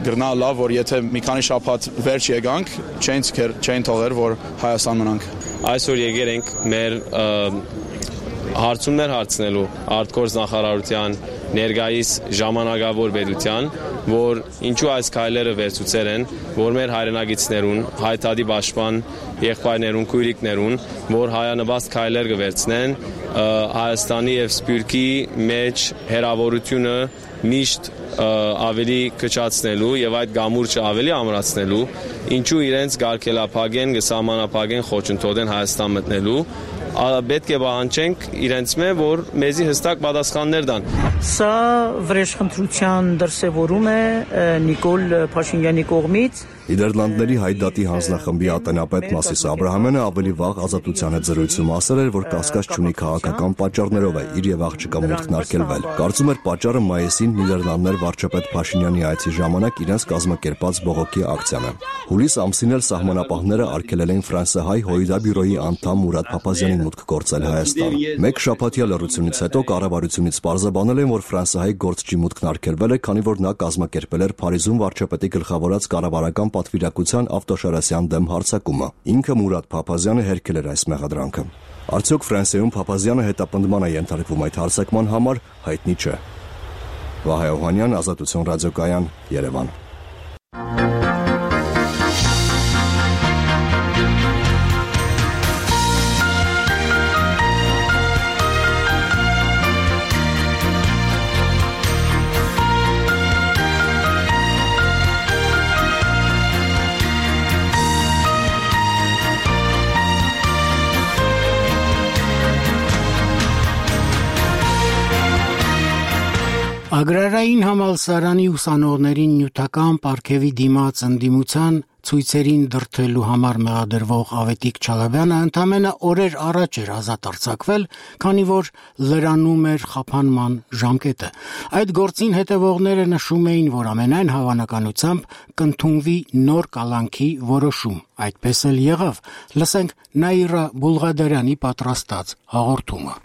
գրնա լավ, որ եթե մի քանի շաբաթ վերջ եկանք, չեն թողեր, որ Հայաստան մնանք։
Այսօր եկել ենք մեր հարցումներ հարցնելու արտգործնախարարության ներկայիս ժամանակավոր պետության, որ ինչու այս քայլերը վերցուցել են, որ մեր հայրենագիտներուն, հայտարարի պաշտպան եղբայրներուն, քույրիկներուն, որ հայանվաստ քայլեր կվերցնեն Հայաստանի եւ Սփյուռքի մեջ հերավորությունը միշտ ավելի կճացնելու եւ այդ գամուրջը ավելի ամրացնելու, ինչու իրենց գարկելափակեն, գսահմանափակեն խոչընդոտեն Հայաստան մտնելու պետք է պահանջենք իրենց մե, որ մեզի հստակ պատասխաններ տան։
Սա վրեժխնդրության դրսևորում է Նիկոլ Փաշինյանի կողմից։
Նիդերլանդների հայդատի հանձնախմբի ատենապետ Մասիս Աբրահամյանը ավելի վաղ Ազատության հետ զրույցում ասել էր, որ կասկած չունի քաղաքական պատճառներով է իր եւ աղջկա մուտքն արգելվել։ Կարծում էր պատճառը մայիսին Նիդերլանդներ վարչապետ Փաշինյանի այցի ժամանակ իրենց կազմակերպած բողոքի ակցիան է։ Հուլիս ամսին էլ սահմանապահները արգելել են ֆրանսիահայ Հոյդա բյուրոյի անդամ Մուրադ Փափազյանի մուտք գործել Հայաստան։ Մեկ շաբաթյա լռությունից հետո կառավարությունից պարզաբանել են, որ ֆրանսիահայ գործչի մուտքն արգելվել է, քանի որ նա կազմակերպել էր Փարիզում վարչապետի գլխավորած կառավարական պատվիրակության Ավտոշարասյան դեմ հարձակումը։ Ինքը Մուրադ Փափազյանը հերքել էր այս մեղադրանքը։ Արդյոք Ֆրանսիայում Փափազյանը հետապնդման է ենթարկվում այդ հարձակման համար, հայտնի չէ։ Վահե Օհանյան, Ազատություն ռադիոկայան, Երևան։
Ագրարային համալսարանի ուսանողներին նյութական պարգևի դիմաց ընդդիմության ցույցերին դրդելու համար մեղադրվող Ավետիք Չալաբյանը ընդամենը օրեր առաջ էր ազատ արձակվել, քանի որ լրանում էր խափանման ժամկետը։ Այդ գործին հետևողները նշում էին, որ ամենայն հավանականությամբ կընդունվի նոր կալանքի որոշում։ Այդպես էլ եղավ։ Լսենք Նաիրա Բուլղադարյանի պատրաստած հաղորդումը։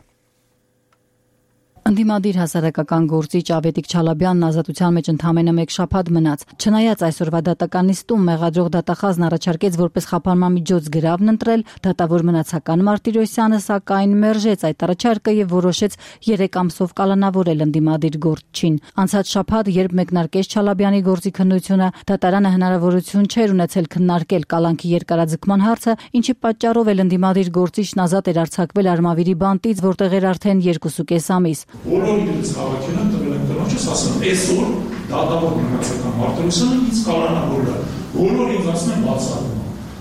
Ընդդիմադիր հասարակական գործիչ Ավետիք Չալաբյանն ազատության մեջ ընդամենը մեկ շաբաթ մնաց։ Չնայած այսօրվա դատական նիստում մեղադրող դատախազն առաջարկեց որպես խափանման միջոց գրավն ընտրել, դատավոր մնացական Մարտիրոսյանը սակայն մերժեց այդ առաջարկը եւ որոշեց 3 ամսով կալանավորել ընդդիմադիր գործչին։ Անցած շաբաթ, երբ մեկնարկեց Չալաբյանի գործի քննությունը, դատարանը հնարավորություն չէր ունեցել քննարկել կալանքի երկարաձգման հարցը, ինչի պատճառով էլ ընդդիմադիր գործիչն ազատ էր արձակվել Արմավիրի բանտից, որտեղ էր արդեն 2.5 ամիս։
Բոլորից հավաքել են տվել են տնոջս, ասում այսօր դատավոր մնացական Մարտիրոսյանը ինձ կալանավորել է։ Բոլորը ինձ ասում են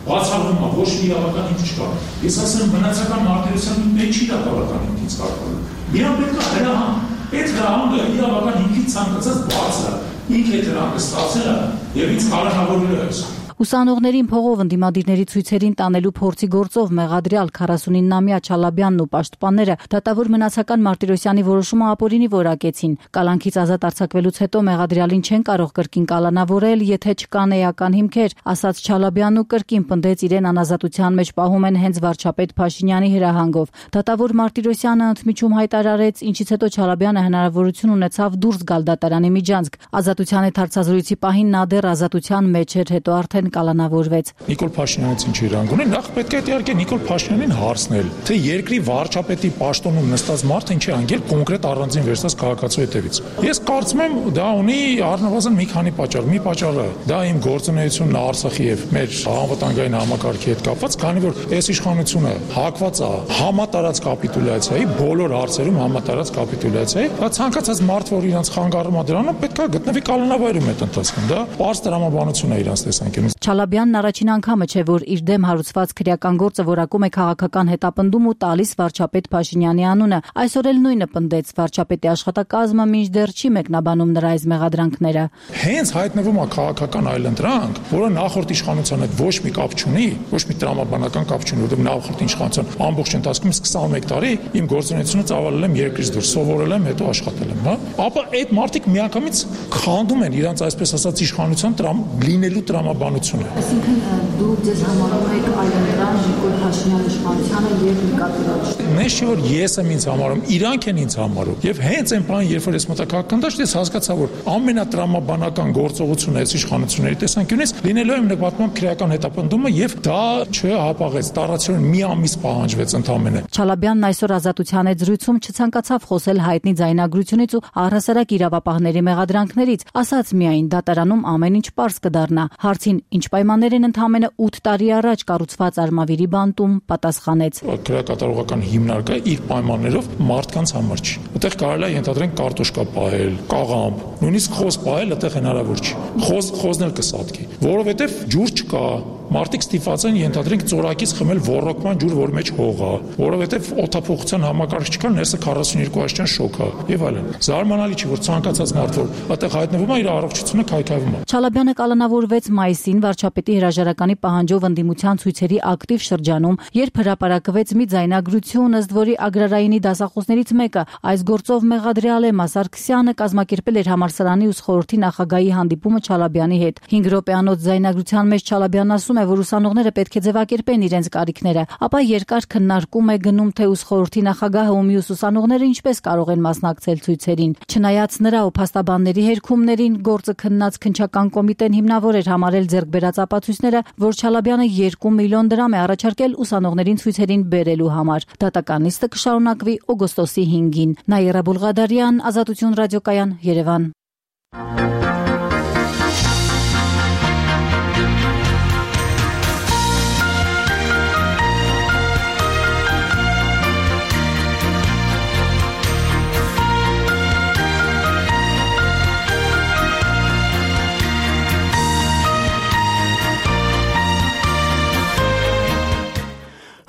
բացառվում է, ոչ մի իրավական ինձ չկա։ Ես ասում եմ մնացական Մարտիրոսյանը մեջ իրավական ինձ կարգել։ Միան պետք է հրահան, այդ հրահանգը իրավական ինքից ցանկացած բարձր է, ինքը դրանք ստացել է եւ ինձ կալանավորել է այսօր։
Ուսանողներին փողով ընդդիմադիրների ցույցերին տանելու փորձի գործով մեղադրյալ 49-ամյա Չալաբյանն ու պաշտպանները դատավոր մնացական Մարտիրոսյանի որոշումը ապօրինի որակեցին։ Կալանքից ազատ արձակվելուց հետո մեղադրյալին չեն կարող կրկին կալանավորել, եթե չկան էական հիմքեր, ասաց Չալաբյանն ու կրկին պնդեց իրեն անազատության մեջ պահում են հենց վարչապետ Փաշինյանի հրահանգով։ Դատավոր Մարտիրոսյանը ընդմիջում հայտարարեց, ինչից հետո Չալաբյանը հնարավորություն ունեցավ դուրս գալ դատարանի միջանցք։ Ազատության հետ հարցազրույցի պահին նա դեռ ազատության մեջ էր, հետո արդեն կալանավորվեց։
Նիկոլ Փաշինյանից ինչ իրավունք ունի, նախ պետք է իհարկե Նիկոլ Փաշինյանին հարցնել, թե երկրի վարչապետի պաշտոնում նստած մարդը ինչ է անգել կոնկրետ առանձին վերցած քաղաքացու հետևից։ Ես կարծում եմ դա ունի առնվազն մի քանի պատճառ։ Մի պատճառը դա իմ գործունեությունն Արցախի եւ մեր անվտանգային համակարգի հետ կապված, քանի որ այս իշխանությունը հակված է համատարած կապիտուլյացիայի, բոլոր հարցերում համատարած կապիտուլյացիայի, դա ցանկացած մարդ, որ իրանց խանգարում է դրանում, պետք է գտնվի կալանավորում այդ ընթացքում։ Դա պարզ տրամաբանություն է իրանց տեսանկյունից։
Չալաբյանն առաջին անգամը չէ, որ իր դեմ հարուցված քրեական գործը որակում է քաղաքական հետապնդում ու տալիս վարչապետ Փաշինյանի անունը։ Այսօր էլ նույնը պնդեց վարչապետի աշխատակազմը մինչդեռ չի մեկնաբանում նրա այս մեղադրանքները։
Հենց հայտնվում է քաղաքական այլընտրանք, որը նախորդ իշխանության հետ ոչ մի կապ չունի, ոչ մի տրամաբանական կապ չունի, որովհետև նախորդ իշխանության ամբողջ ընթացքում 21 տարի իմ գործունեությունը ծավալել եմ երկրից դուրս, սովորել եմ, հետո աշխատել եմ, հա։ Ապա այդ մարդիկ միանգամից քանդում են իրանց այսպես ասած իշխանության լինելու տրամաբանությունը։
Այսինքն դուք ձեզ համարում եք այլընտրանք Նիկոլ Փաշինյանի իշխանությանը եւ նկատի։
Նես չէ որ ես եմ ինձ համարում, իրանք են ինձ համարում։ Եւ հենց այն բանը, երբ որ ես մտաքաղաքական դաշտ, ես հասկացա, որ ամենատրամաբանական գործողությունը այս իշխանությունների տեսանկյունից լինելու է նկատմամբ քրեական հետապնդումը եւ դա չհապաղեց, տարածորեն մի ամիս պահանջվեց ընդամենը։
Չալաբյանն այսօր ազատության հետ զրույցում չցանկացավ խոսել հայտնի ձայնագրությունից ու առհասարակ իրավապահների մեղադրանքներից, ասաց միայն դատարանում ամեն ինչ պարզ կդառնա։ Հարցին ինչ պայմաններ են ընդամենը 8 տարի առաջ կառուցված Արմավիրի բանտում, պատասխանեց.
Քրեակատարողական հիմնարկը իր պայմաններով մարդկանց համար չի։ Այդտեղ կարելի է ենթադրենք կարտոշկա պահել, կաղամբ, նույնիսկ խոզ պահել այդտեղ հնարավոր չի։ Խոզն էլ կսատկի, որովհետև ջուր չկա, մարդիկ ստիպված են ենթադրենք ծորակից խմել ոռոգման ջուր, որ մեջ հող է, որովհետև օդափոխության համակարգ չկա, ներսը 42 աստիճան շոկ է եւ այլն։ Զարմանալի չի, որ ցանկացած մարդ, որ այդտեղ հայտնվում է, իր առողջությունը քայքայվում է։
Չալաբյանը կալանավորվեց մայիսին վարչապետի հրաժարականի պահանջով ընդդիմության ցույցերի ակտիվ շրջանում, երբ հրապարակվեց մի ձայնագրություն, ըստ որի Ագրարայինի դասախոսներից մեկը այս գործով մեղադրյալ է Սարգսյանը կազմակերպել էր համալսարանի ուսխորհրդի նախագահի հանդիպումը Չալաբյանի հետ։ 5 րոպեանոց ձայնագրության մեջ Չալաբյանն ասում է, որ ուսանողները պետք է ձևակերպեն իրենց կարիքները, ապա երկար քննարկում է գնում, թե ուսխորհրդի նախագահը ու մյուս ուսանողները ինչպես կարող են մասնակցել ցույցերին։ Չնայած նրա ու փաստաբանների հերքումներին, գործը քննած քննչական կոմիտեն հիմնավոր էր համարել ձեռքբերած ապացույցները, որ Չալաբյանը 2 միլիոն դրամ է առաջարկել ուսանողներին ցույցերին բերելու համար։ Դատական նիստը կշարունակվի օգոստոսի 5-ին։ Նաիրա Բուլղադարյան, Ազատություն ռադիոկայան, Երևան։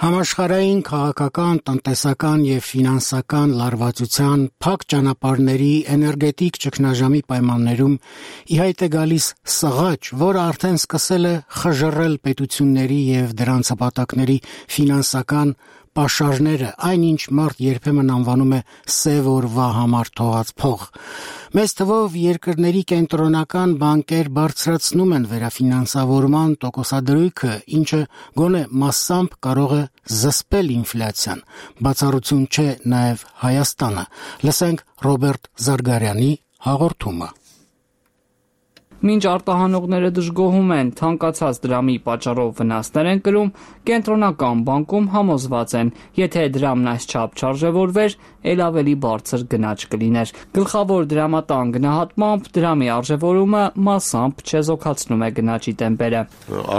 Համաշխարհային քաղաքական, տնտեսական եւ ֆինանսական լարվածության, փակ ճանապարհների, էներգետիկ ճգնաժամի պայմաններում ի հայտ է գալիս սղաճ, որը արդեն սկսել է խժռել պետությունների եւ դրանց հպատակների ֆինանսական պաշարները, այնինչ մարդ երբեմն անվանում է սև օրվա համար թողած փող։ Մեծ թվով երկրների կենտրոնական բանկեր բարձրացնում են վերաֆինանսավորման տոկոսադրույքը, ինչը գոնե մասամբ կարող է զսպել ինֆլյացիան։ Բացառություն չէ նաև Հայաստանը։ Լսենք Ռոբերտ Զարգարյանի հաղորդումը։
Մինչ արտահանողները դժգոհում են, թանկացած դրամի պատճառով վնասներ են կրում, կենտրոնական բանկում համոզված են, եթե դրամն այսչափ չարժևորվեր, ել ավելի բարձր գնաճ կլիներ։ Գլխավոր դրամատան գնահատմամբ դրամի արժևորումը մասամբ չեզոքացնում է գնաճի տեմպերը։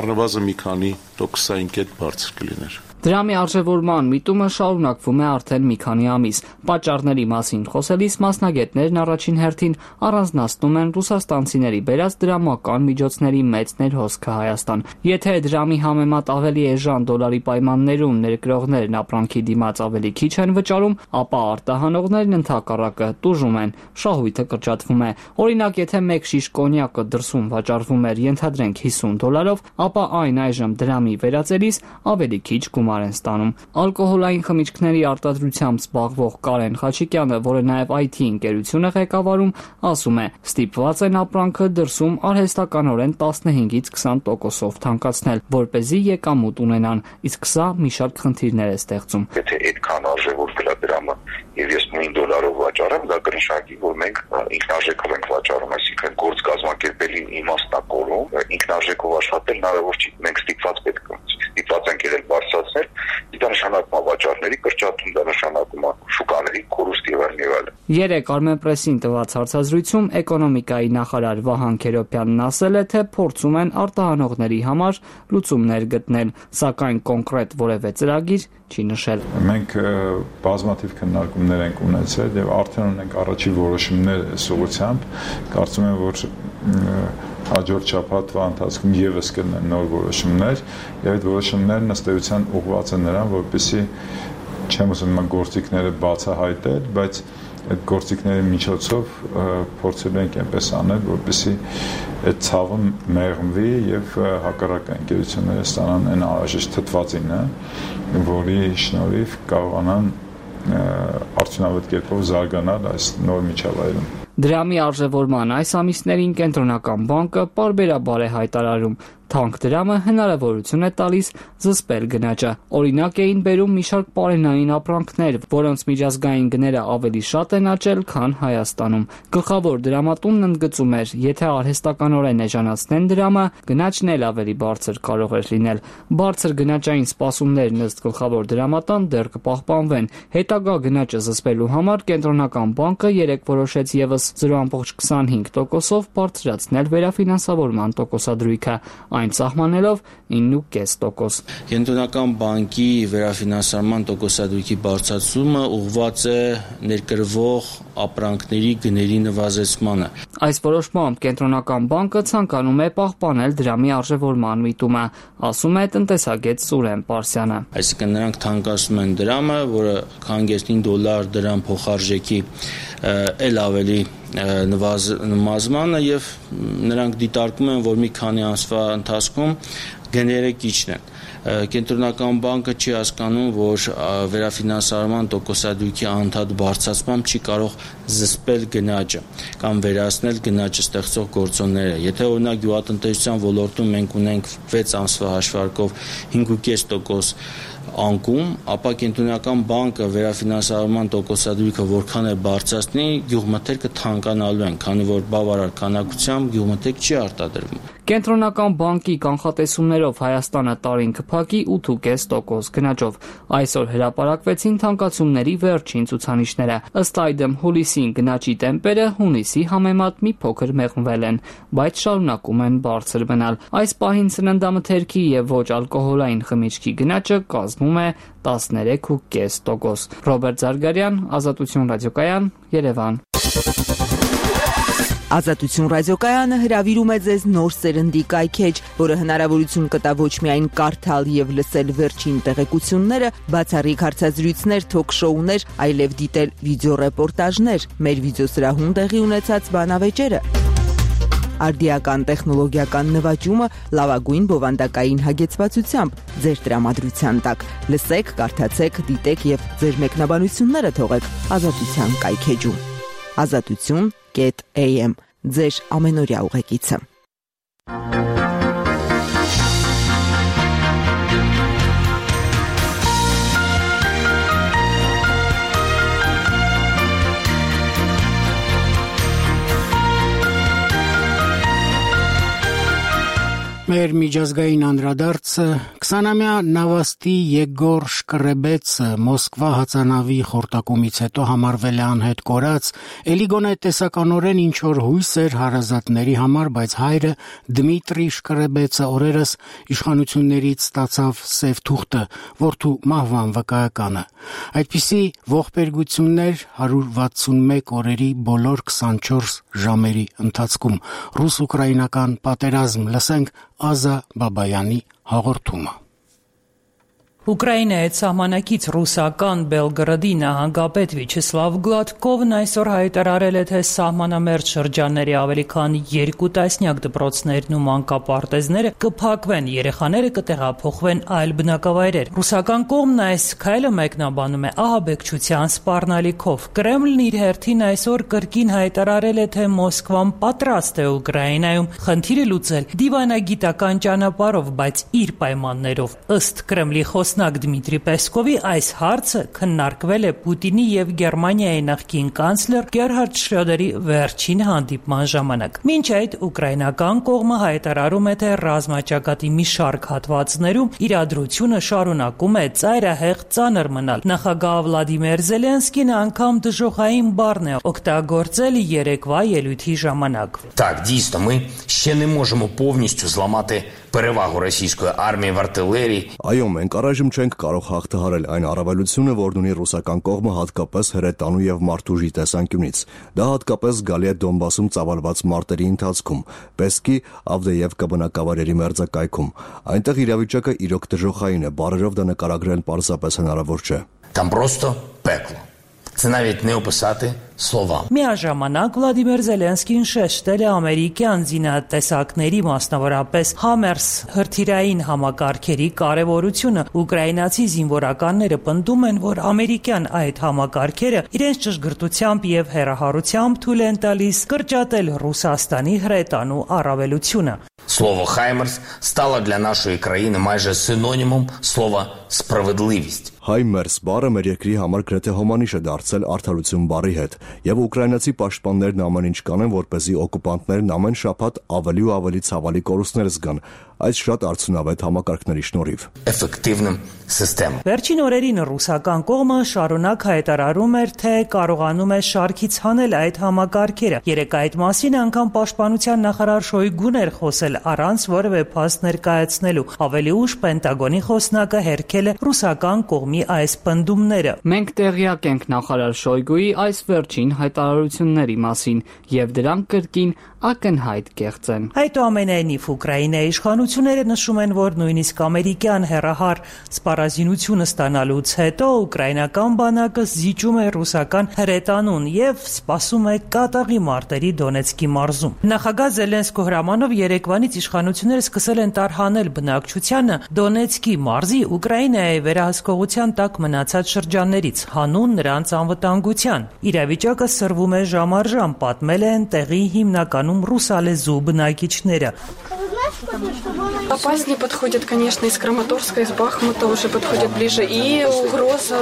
Առնվազն մի քանի տոկոսային կետ բարձր կլիներ։
Դրամի արժևորման միտումը շարունակվում է արդեն մի քանի ամիս։ Պատճառների մասին խոսելիս մասնագետներն առաջին հերթին առանձնացնում են ռուսաստանցիների բերած դրամական միջոցների մեծ ներհոսքը Հայաստան։ Եթե դրամի համեմատ ավելի էժան դոլարի պայմաններում ներկրողներն ապրանքի դիմաց ավելի քիչ են վճարում, ապա արտահանողներն ընդհակառակը տուժում են, շահույթը կրճատվում է։ Օրինակ, եթե մեկ շիշ կոնյակը դրսում վճարվում էր ենթադրենք $50, ապա այն այժմ դրամի վերածելիս ավելի քիչ գումար են ստանում։ Ալկոհոլային խմիչքների արտադրությամբ զբաղվող Կարեն Խաչիկյանը, որը նաև IT ընկերություն է ղեկավարում, ասում է, ստիպված են ապրանքը դրսում արհեստականորեն 15-ից 20%-ով թանկացնել, որպեսզի եկամուտ ունենան, իսկ սա մի շարք խնդիրներ է ստեղծում։
Եթե այդքան արժևորվել է դրամը եւ ես նույն դոլարով վաճառեմ, դա կնշանակի, որ մենք ինքնարժեքով ենք վաճառում, այսինքն գործ կազմակերպելին իմաստնակորում, ինքնարժեքով աշխատել հնարավոր չի։ Մենք ստիպված ենք եղել բարձրացնել, դա նշանակում է վաճառների կրճատում, դա նշանակում է շուկաների կորուստ եւ այլն։
Երեկ Armenpress-ին տված հարցազրույցում էկոնոմիկայի նախարար Վահան Քերոբյանն ասել է, թե փորձում են արտահանողների համար լուծումներ գտնել, սակայն կոնկրետ որևէ ծրագիր չի նշել։
Մենք բազմաթիվ քննարկումներ ենք ունեցել եւ արդեն ունենք առաջի որոշումներ այս ուղղությամբ։ Կարծում եմ, որ հաջորդ շաբաթվա ընթացքում եւս կլինեն նոր որոշումներ եւ այդ որոշումներն ըստ էության ուղղված են նրան, որպեսզի չեմ ուզում գործիքները բացահայտել, բայց այդ գործիքների միջոցով փորձելու ենք այնպես անել, որպեսզի այդ ցավը մեղմվի եւ հակառակ ընկերությունները ստանան այն անհրաժեշտ թթվածինը, որի շնորհիվ կարողանան արդյունավետ կերպով զարգանալ այս նոր միջավայրում։
Դրամի արժևորման այս ամիսներին կենտրոնական բանկը պարբերաբար է հայտարարում, թանկ դրամը հնարավորություն է տալիս զսպել գնաճը։ Օրինակ էին բերում մի շարք պարենային ապրանքներ, որոնց միջազգային գները ավելի շատ են աճել, քան Հայաստանում։ Գլխավոր դրամատունն ընդգծում էր, եթե արհեստականորեն էժանացնեն դրամը, գնաճն էլ ավելի բարձր կարող էր լինել։ Բարձր գնաճային սպասումներն ըստ գլխավոր դրամատան դեռ կպահպանվեն։ Հետագա գնաճը զսպելու համար կենտրոնական բանկը երեկ որոշեց եւս 0.25%-ով բարձրացնել վերաֆինանսավորման տոկոսադրույքը։ այն սահմանելով 9.5%։
Կենտրոնական բանկի վերաֆինանսավորման տոկոսադրույքի բարձրացումը ուղղված է ներկրվող ապրանքների գների նվազեցմանը։
Այս որոշմամբ Կենտրոնական բանկը ցանկանում է պահպանել դրամի արժևորման միտումը, ասում է տնտեսագետ Սուրեն Պարսյանը։
Այսինքն նրանք թանկացնում են դրամը, որը $5 դրամ փոխարժեքի էլ ավելի նվազմանը եւ նրանք դիտարկում են, որ մի քանի ամսվա ընթացքում գները կիջնեն։ Կենտրոնական բանկը չի հասկանում, որ վերաֆինանսավորման տոկոսադրույքի անդադ բարձրացմամբ չի կարող զսպել գնաճը կամ վերացնել գնաճը ստեղծող գործոնները։ Եթե օրինակ գյուղատնտեսության ոլորտում մենք ունենք 6 ամսվա հաշվարկով 5.5% անկում, ապա Կենտրոնական բանկը վերաֆինանսավորման տոկոսադրույքը որքան է բարձրացնի, գյուղմթերքը թանկանալու են, քանի որ բավարար քանակությամբ գյուղմթերք չի արտադրվում։
Կենտրոնական բանկի կանխատեսումներով Հայաստանը տարին կփակի 8.5% գնաճով։ Այսօր հրապարակվեցին թանկացումների վերջին ցուցանիշները։ Ըստ այդմ հուլիսին գնաճի տեմպերը հունիսի համեմատ մի փոքր մեղմվել են, բայց շարունակում են բարձր մնալ։ Այս պահին սննդամթերքի եւ ոչ ալկոհոլային խմիչքի գնաճը կազմում է 13.5%։ Ռոբերտ Զարգարյան, Ազատություն ռադիոկայան, Երևան։
Ազատություն ռադիոկայանը հրավիրում է ձեզ նոր սերնդի կայքեջ, որը հնարավորություն կտա ոչ միայն կարդալ եւ լսել վերջին տեղեկությունները, բացառիկ հարցազրույցներ, թոք-շոուներ, այլև դիտել վիդեոռեպորտաժներ, մեր վիդեոսրահում տեղի ունեցած բանավեճերը։ Արդիական տեխնոլոգիական նվաճումը լավագույն բովանդակային հագեցվածությամբ ձեր տրամադրության տակ։ Լսեք, կարդացեք, դիտեք եւ ձեր մեկնաբանությունները թողեք Ազատության կայքեջում։ Ազատություն.am ձեր ամենօրյա ուղեկիցը։
Մեր միջազգային անդրադարձը 20-ամյա Նավաստի Եգոր Շկրեբեցը Մոսկվա հածանավի խորտակումից հետո համարվել է անհետ կորած, էլի գոնե տեսականորեն ինչ որ հույս էր հարազատների համար, բայց հայրը Դմիտրի Շկրեբեցը օրերս իշխանություններից ստացավ սև թուղթը, որդու մահվան վկայականը։ Այդպիսի ողբերգություններ 161 օրերի բոլոր 24 ժամերի ընթացքում ռուս-ուկրաինական պատերազմ լսենք Ազա Բաբայանի հաղորդումը։
Ուկրաինայի սահմանակից ռուսական Բելգրադի նահանգապետ Վիչեսլավ Գլադկովն այսօր հայտարարել է, թե սահմանամերձ շրջանների ավելի քան 2 տասնյակ դպրոցներն ու մանկապարտեզները կփակվեն, երեխաները կտեղափոխվեն այլ բնակավայրեր։ Ռուսական կողմն այս քայլը մեկնաբանում է ահաբեկչության սպառնալիքով։ Կրեմլն իր հերթին այսօր կրկին հայտարարել է, թե Մոսկվան պատրաստ է Ուկրաինայում խնդիրը լուծել դիվանագիտական ճանապարհով, բայց իր պայմաններով։ Ըստ Կրեմլի Դմիտրի Պեսկովի այս հարցը քննարկվել է Պուտինի եւ Գերմանիայի նախկին կանցլեր Գերհարդ Շրոդերի վերջին հանդիպման ժամանակ։ Մինչ այդ ուկրաինական կողմը հայտարարում է, թե ռազմաճակատի մի շարք հատվածներում իրադրությունը շարունակում է ծայրահեղ ծանր մնալ։ Նախագահ Վլադիմիր Զելենսկին անգամ դժոխային բառն է օգտագործել երեկվա ելույթի ժամանակ։
Так, дійсно, ми ще не можемо повністю зламати перевагу російської армії в артилерії.
Այո, մենք առայժմ չենք կարող հաղթահարել այն առավելությունը, որն ունի ռուսական կողմը հատկապես հրետանու եւ մարդուժի տեսանկյունից։ Դա հատկապես զգալի է Դոնբասում ծավալված մարտերի ընթացքում, Պեսկի, Ավդեևկա բնակավայրերի մերձակայքում։ Այնտեղ իրավիճակը իրոք դժոխային է, բառերով դա նկարագրել պարզապես հնարավոր չէ։
Там просто пекло. Це навіть не описати словами.
Միաժամանակ Վլադիմիր Զելենսկին շեշտել է ամերիկյան զինատեսակների, մասնավորապես Համերս հրթիռային համակարգերի կարևորությունը։ Ուկրաինացի զինվորականները պնդում են, որ ամերիկյան այդ համակարգերը իրենց ճշգրտությամբ եւ հեռահարությամբ թույլ են տալիս կրճատել Ռուսաստանի հրետանու առավելությունը։
Слово «Хаймерс» стало для нашої країни майже синонімом слова «справедливість».
Հայմերս բառը մեր երկրի համար գրեթե հոմանիշ է դարձել արդարություն բառի հետ, եւ ուկրաինացի պաշտպաններն ամեն ինչ կանեն, որպեսզի օկուպանտներն ամեն շաբաթ ավելի ու ավելի ցավալի կորուստներ զգան։ այս շատ արդյունավետ համակարգների շնորհիվ։
Էֆեկտիվным սիստեմ։
Վերջին օրերին ռուսական կողմը շարունակ հայտարարում էր, թե կարողանում է շարքից հանել այդ համակարգերը։ Երեկ այդ մասին անգամ պաշտպանության նախարար Շոյգուն էր խոսել առանց որևէ փաստ ներկայացնելու։ Ավելի ուշ Պենտագոնի խոսնակը հերքել է ռուսական կողմի այս պնդումները։
Մենք տեղյակ ենք նախարար Շոյգուի այս վերջին հայտարարությունների մասին եւ դրանք կրկին ակնհայտ կեղծ են։
Այդուամենայնիվ Ուկրաինայի իշխանությունները նշում են, որ նույնիսկ ամերիկյան հեռահար սպառազինությունը ստանալուց հետո ուկրաինական բանակը զիջում է ռուսական հրետանուն եւ սպասում է կատաղի մարտերի Դոնեցկի մարզում։ Նախագահ Զելենսկու հրամանով երեկվանից իշխանությունները սկսել են տարհանել բնակչությանը Դոնեցկի մարզի Ուկրաինայի վերահսկողության տակ մնացած շրջաններից, հանուն նրանց անվտանգության։ Իրավիճակը սրվում է ժամ առ ժամ, պատմել են տեղի հիմնականում ռուսալեզու բնակիչները։
Опаснее подходят, конечно, из Краматорска, из Бахмута уже подходят ближе, и угроза.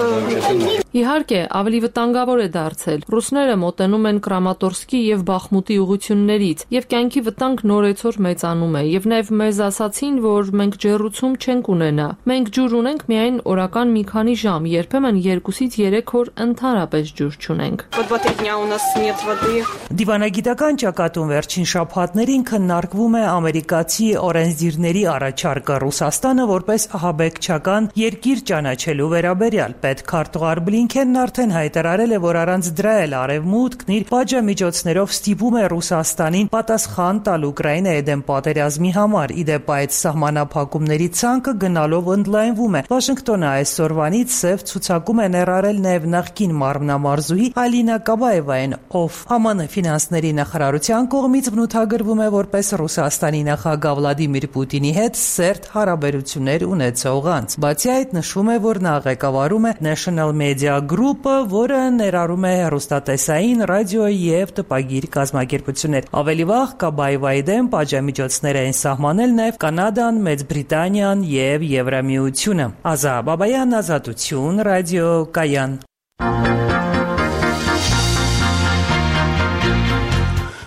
Իհարկե, ավելի վտանգավոր է դարձել։ Ռուսները մոտենում են Կրամատորսկի եւ Բախմուտի ուղություններից, եւ կյանքի վտանգ նորեցօր մեծանում է, եւ նաեւ մեզ ասացին, որ մենք ջեռուցում չենք ունենա։ Մենք ջուր ունենք միայն օրական մի քանի ժամ, երբեմն 2-ից 3 օր ընդհանրապես ջուր չունենք։
По 2-3 дня у нас нет воды.
Դիվանագիտական ճակատում վերջին շաբաթներին քննարկվում է ամերիկացի օրենսդիրների առաջարկը Ռուսաստանը որպես ահաբեկչական երկիր ճանաչելու վերաբերյալ։ Պետքարտուղար Բլինքենն արդեն հայտարարել է, որ առանց դրա էլ Արևմուտքն իր պատժամիջոցներով ստիպում է Ռուսաստանին պատասխան տալ Ուկրաինայի դեմ պատերազմի համար։ Իդեպ այդ սահմանափակումների ցանկը գնալով ընդլայնվում է։ Վաշինգտոնը այսօրվանից սև ցուցակում է ներառել նաև նախկին մարմնամարզուհի Ալինա Կաբաևային, ով ԱՄՆ ֆինանսների նախարարության կողմից բնութագրվում է որպես Ռուսաստանի նախագահ Վլադիմիր Պուտինի հետ սերտ հարաբերություններ ունեցող անձ։ Բացի այդ, նշվում է, որ նա ղեկավարում է National Media Group-ը, որը ներառում է հեռուստատեսային, ռադիո եւ տպագիր կազմակերպություններ։ Ավելի վաղ Կաբաևայի դեմ պատժամիջոցներ են սահմանել նաև Կանադան, Մեծ Բրիտանիան եւ Եվրամիությունը։ Ազա Բաբայան, Ազատություն, ռադիո Կայան։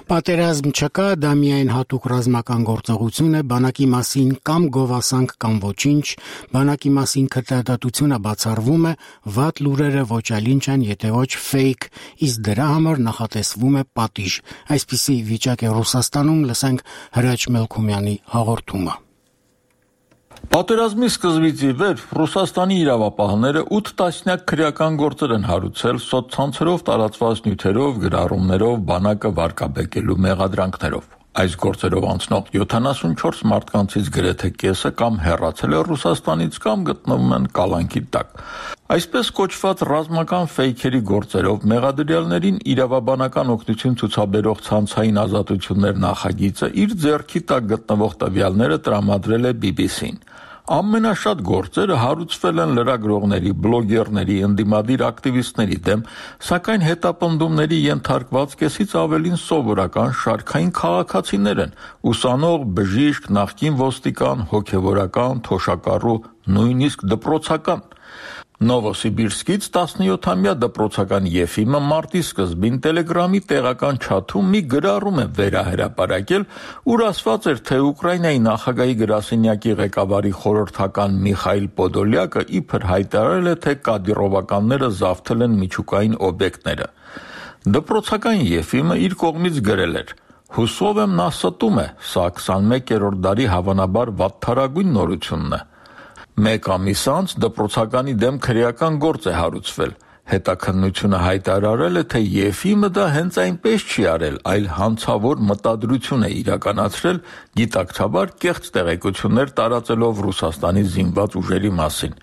Պատերազմ չկա, դա միայն հատուկ ռազմական գործողություն է, բանակի մասին կամ գովասանք կամ ոչինչ, բանակի մասին քրտադատությունը բացառվում է, վատ լուրերը ոչ այլ ինչ են, եթե ոչ ֆեյք, իսկ դրա համար նախատեսվում է պատիժ։ Այսպիսի վիճակ է Ռուսաստանում, լսենք Հրաչ Մելքումյանի հաղորդումը։
Պատերազմի սկզբից ի վեր Ռուսաստանի իրավապահները 8 տասնյակ քրեական գործեր են հարուցել սոցցանցերով տարածված նյութերով, գրառումներով, բանակը վարկաբեկելու մեղադրանքներով։ Այս գործերով անցնող 74 մարդկանցից գրեթե կեսը կամ հեռացել է Ռուսաստանից կամ գտնվում են կալանքի տակ։ Այսպես կոչված ռազմական ֆեյքերի գործերով մեղադրյալներին իրավաբանական օգնություն ցուցաբերող ցանցային ազատություններ նախագիծը իր ձեռքի տակ գտնվող տվյալները տրամադրել է BBC-ին։ Ամենաշատ գործերը հարուցվել են լրագրողների, բլոգերների, ընդդիմադիր ակտիվիստների դեմ, սակայն հետապնդումների ենթարկված կեսից ավելին սովորական շարքային քաղաքացիներ են՝ ուսանող, բժիշկ, նախկին ոստիկան, հոգևորական, թոշակառու, նույնիսկ դպրոցական։ Նովոսիբիրսկից 17-ամյա դպրոցական Եֆիմը մարտի սկզբին Տելեգրամի տեղական չաթում մի գրառում է վերահրապարակել, ուր ասված էր, թե Ուկրաինայի նախագահի գրասենյակի ղեկավարի խորհրդական Միխայիլ Պոդոլյակը իբր հայտարարել է, թե կադիրովականները զավթել են միջուկային օբյեկտները։ Դպրոցական Եֆիմը իր կողմից գրել էր. «Հուսով եմ նա ստում է, սա 21-րդ դարի հավանաբար վատթարագույն նորությունն է»։ Մեկ ամիս անց դպրոցականի դեմ քրեական գործ է հարուցվել։ Հետաքննությունը հայտարարել է, թե Եֆիմը դա հենց այնպես չի արել, այլ հանցավոր մտադրություն է իրականացրել, գիտակցաբար կեղծ տեղեկություններ տարածելով Ռուսաստանի զինված ուժերի մասին։